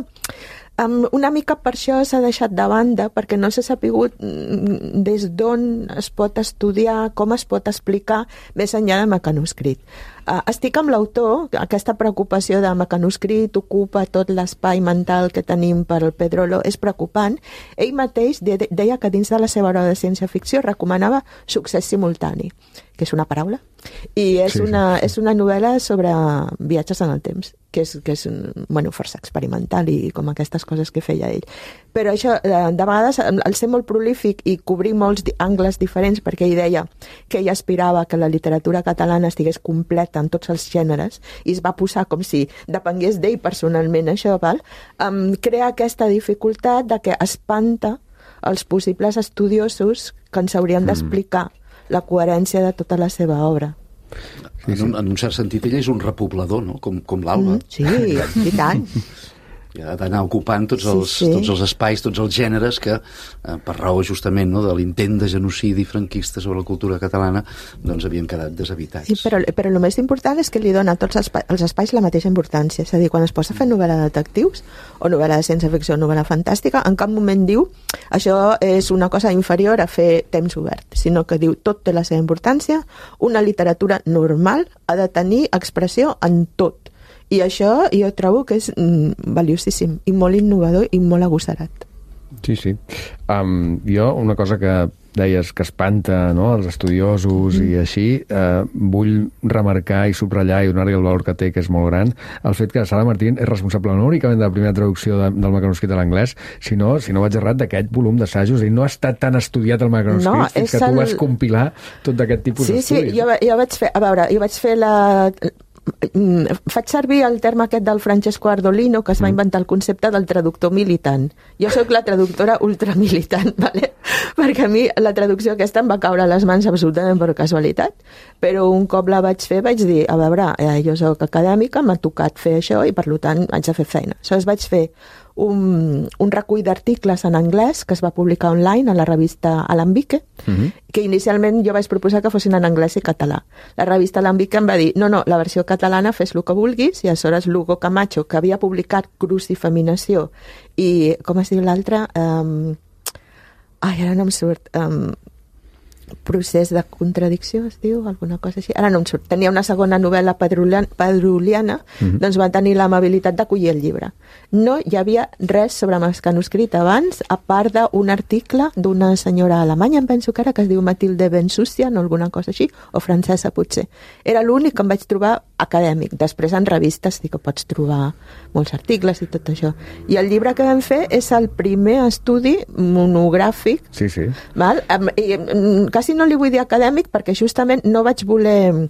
um, una mica per això s'ha deixat de banda, perquè no s'ha sapigut des d'on es pot estudiar, com es pot explicar més enllà de mecanoscrit. Uh, estic amb l'autor, aquesta preocupació de mecanoscrit ocupa tot l'espai mental que tenim per al Pedrolo, és preocupant. Ell mateix de, de, deia que dins de la seva obra de ciència-ficció recomanava succés simultani, que és una paraula, i és, sí, una, sí, sí. és una novel·la sobre viatges en el temps, que és, que és bueno, força experimental i com aquestes coses que feia ell. Però això, de vegades, al ser molt prolífic i cobrir molts angles diferents, perquè ell deia que ell aspirava que la literatura catalana estigués completa en tots els gèneres, i es va posar com si depengués d'ell personalment això, val? Um, crea aquesta dificultat de que espanta els possibles estudiosos que ens haurien d'explicar la coherència de tota la seva obra. Sí, sí. En, un, en un cert sentit, ella és un repoblador, no? Com, com l'Alba. Mm, sí, i tant. I ha d'anar ocupant tots els, sí, sí. tots els espais, tots els gèneres que, eh, per raó justament no, de l'intent de genocidi franquista sobre la cultura catalana, doncs havien quedat deshabitats. Sí, però, però el més important és que li dona a tots els, espai, els espais la mateixa importància. És a dir, quan es posa a fer novel·la de detectius, o novel·la de ciència-ficció, o novel·la fantàstica, en cap moment diu això és una cosa inferior a fer temps obert, sinó que diu tot té la seva importància, una literatura normal ha de tenir expressió en tot. I això jo trobo que és mm, valiosíssim i molt innovador i molt agossarat. Sí, sí. Um, jo, una cosa que deies que espanta, no?, els estudiosos mm. i així, eh, vull remarcar i subratllar i donar-li el valor que té, que és molt gran, el fet que Sara Martín és responsable no únicament de la primera traducció de, del mecanoscrit a l'anglès, sinó, si no vaig errat, d'aquest volum d'assajos, i no ha estat tan estudiat el mecanoscrit no, fins que tu el... vas compilar tot d'aquest tipus sí, d'estudis. Sí, sí, jo, jo vaig fer, a veure, jo vaig fer la... faig servir el terme aquest del Francesco Ardolino, que es va inventar el concepte del traductor militant. Jo sóc la traductora ultramilitant, ¿vale? Perquè a mi la traducció aquesta em va caure a les mans absolutament per casualitat, però un cop la vaig fer vaig dir, a veure, eh, jo sóc acadèmica, m'ha tocat fer això i per tant haig de fer feina. Aleshores vaig fer un, un recull d'articles en anglès que es va publicar online a la revista Alambique, uh-huh. que inicialment jo vaig proposar que fossin en anglès i català. La revista Alambique em va dir, no, no, la versió catalana fes el que vulguis, i aleshores l'Hugo Camacho, que havia publicat Cruz i Feminació, i, com es diu l'altre? Um, ai, ara no em surt... Um, procés de contradicció, es diu, alguna cosa així. Ara no em surt. Tenia una segona novel·la pedruliana, mm-hmm. doncs va tenir l'amabilitat d'acollir el llibre. No hi havia res sobre mecanuscrit abans, a part d'un article d'una senyora alemanya, em penso que era, que es diu Matilde Bensussian o alguna cosa així, o francesa potser. Era l'únic que em vaig trobar acadèmic. Després en revistes sí que pots trobar molts articles i tot això. I el llibre que vam fer és el primer estudi monogràfic, sí, sí. Val? I, quasi no li vull dir acadèmic perquè justament no vaig voler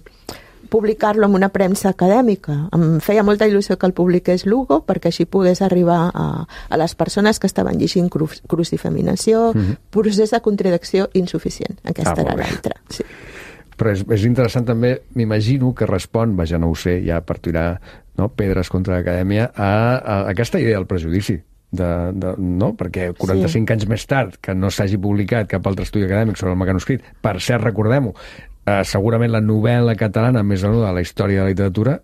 publicar-lo en una premsa acadèmica. Em feia molta il·lusió que el publiqués l'Hugo perquè així pogués arribar a, a les persones que estaven llegint Cruz, Cruz i Feminació, mm-hmm. procés de contradicció insuficient. Aquesta ah, era l'altra. Sí. Però és, és interessant també, m'imagino que respon, vaja, no ho sé, ja per tirar no, pedres contra l'acadèmia, a, a aquesta idea del prejudici. De, de, no? Perquè quaranta-cinc sí. anys més tard que no s'hagi publicat cap altre estudi acadèmic sobre el mecanuscrit, per cert, recordem-ho, eh, segurament la novel·la catalana més venuda de la història de la literatura,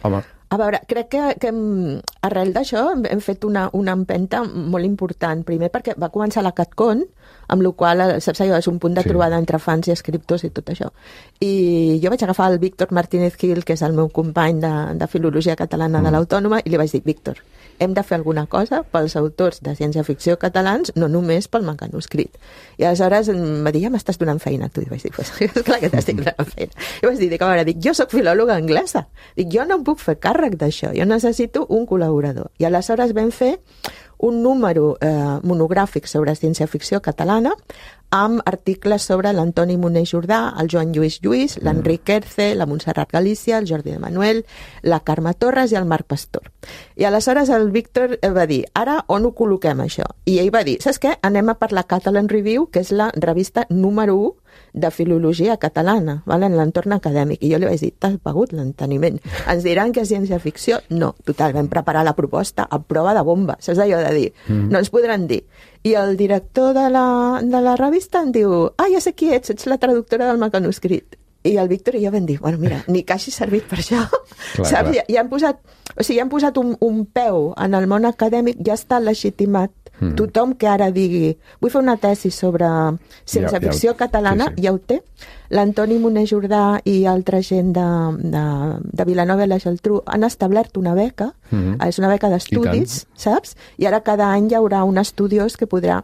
home... A veure, crec que, que hem, arrel d'això hem, hem fet una, una empenta molt important. Primer perquè va començar la CatCon, amb la qual saps allò, és un punt de sí. trobada entre fans i escriptors i tot això. I jo vaig agafar el Víctor Martínez Gil, que és el meu company de, de Filologia Catalana mm. de l'Autònoma, i li vaig dir, Víctor, hem de fer alguna cosa pels autors de ciència-ficció catalans, no només pel mecanuscrit. I aleshores em va dir, ja m'estàs donant feina, tu. I vaig dir, pues, clar que t'estic donant feina. I vaig dir, dic, a veure, dic, jo soc filòloga anglesa. Dic, jo no em puc fer càrrec d'això, jo necessito un col·laborador. I aleshores vam fer un número eh, monogràfic sobre ciència-ficció catalana amb articles sobre l'Antoni Moner Jordà, el Joan Lluís Lluís, l'Enric Erce, la Montserrat Galícia, el Jordi de Manuel, la Carme Torres i el Marc Pastor. I aleshores el Víctor va dir, ara on ho col·loquem això? I ell va dir, saps què? Anem a per la Catalan Review, que és la revista número u de filologia catalana, val? En l'entorn acadèmic. I jo li vaig dir, t'has pagut l'enteniment. Ens diran que és ciència-ficció? No, total, vam preparar la proposta a prova de bomba. Saps allò de dir? Mm. No ens podran dir. I el director de la, de la revista em diu, ah, ja sé qui ets, ets la traductora del mecanuscrit. I el Víctor i jo vam dir, bueno, mira, ni que hagi servit per això. Clar, saps? Clar. Ja, ja han posat, o sigui, ja han posat un, un peu en el món acadèmic, ja està legitimat. Mm. Tothom que ara digui, vull fer una tesi sobre ciència-ficció ja, ja, catalana, sí, sí. ja ho té. L'Antoni Moner Jordà i altra gent de, de, de Vilanova i la Geltrú han establert una beca, mm-hmm. és una beca d'estudis, saps? I ara cada any hi haurà un estudiós que podrà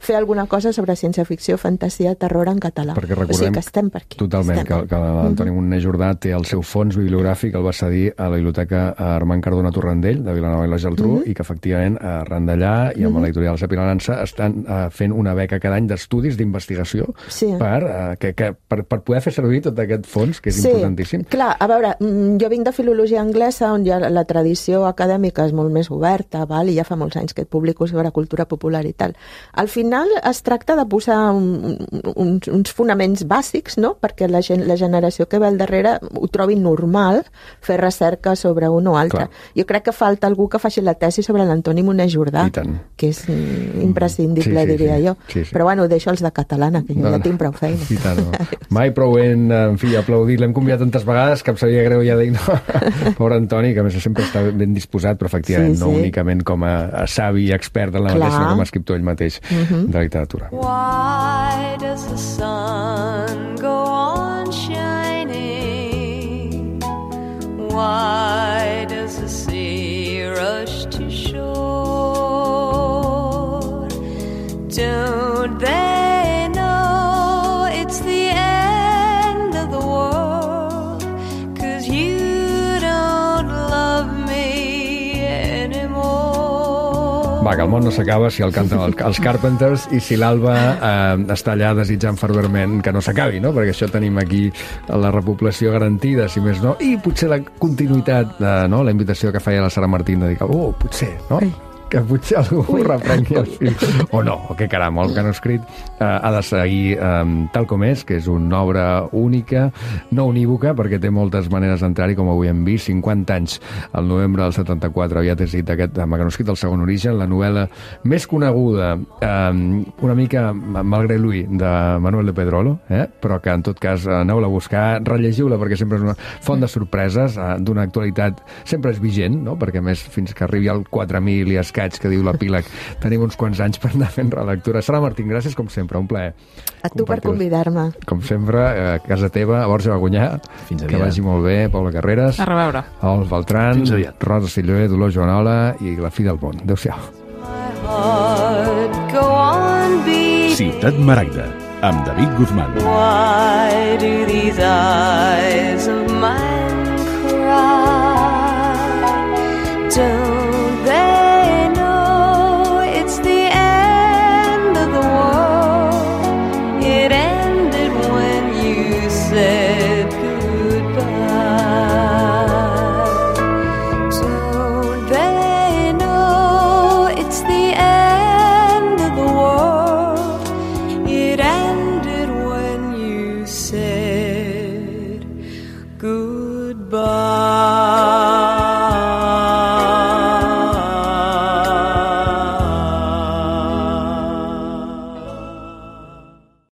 fer alguna cosa sobre ciència-ficció, fantasia, terror en català. Perquè recordem, o sigui que estem per aquí. Totalment, estem. que, que l'Antoni mm-hmm. Moner Jordà té el seu fons bibliogràfic, el va cedir a la biblioteca Armand Cardona Torrendell, de Vilanova i la Geltrú, mm-hmm. i que efectivament arran d'allà i amb mm-hmm. l'editorial Sapilança estan uh, fent una beca cada any d'estudis d'investigació sí. per, uh, que, que, per, per poder fer servir tot aquest fons, que és sí. importantíssim. Clar, a veure, jo vinc de filologia anglesa, on ja la tradició acadèmica és molt més oberta, val? I ja fa molts anys que et publico sobre cultura popular i tal. Al final es tracta de posar un, un, uns fonaments bàsics, no? Perquè la, gent, la generació que ve al darrere ho trobi normal fer recerca sobre un o altre. Clar. Jo crec que falta algú que faci la tesi sobre l'Antoni Moner Jordà, que és imprescindible, sí, sí, diria sí. jo. Sí, sí. Però bueno, ho deixo els de catalana, que jo no, ja tinc prou feina. I tant, no. Mai prou ben, en fi, aplaudit. L'hem convidat tantes vegades que em sabia greu ja dir no. Pobre Antoni, que a més sempre està ben disposat, però efectivament sí, sí. no únicament com a, a savi i expert en la mateixa, sinó com a escriptor ell mateix. Mm-hmm. De literatura. Why does the sun go on shining? Why does the sea rush to shore? Don't they know it's the end of the world? 'Cause you don't love me anymore. Va, que el món no s'acaba si el canten els Carpenters i si l'Alba eh, està allà desitjant ferventment que no s'acabi, no? Perquè això tenim aquí la repoblació garantida, si més no, i potser la continuïtat, eh, no? La invitació que feia la Sara Martín de dir, oh, potser, no? Que potser algú Ui. reprengui el film. O no, o que caram, el manuscrit eh, ha de seguir eh, tal com és, que és una obra única, no unívoca, perquè té moltes maneres d'entrar-hi, com avui hem vist, cinquanta anys, el novembre del setanta-quatre, havia decidit aquest manuscrit del segon origen, la novel·la més coneguda, eh, una mica malgrat lui, de Manuel de Pedrolo, eh? Però que en tot cas aneu-la a buscar, rellegiu-la, perquè sempre és una font de sorpreses, eh, d'una actualitat sempre és vigent, no? Perquè a més, fins que arribi al quatre mil i es que diu l'epíleg, tenim uns quants anys per anar fent relectura. Sara Martín, gràcies com sempre, un plaer. A tu per convidar-me. Com sempre, a casa teva, a Borja Bagunyà, que vagi molt bé, Paula Carreras, a reveure. Ol Beltran, Rosa Silloé, Dolors Joanola i la fi del món. Adéu-siau. Ciutat Maragda, amb David Guzmán. Why do these eyes of mine cry? Don't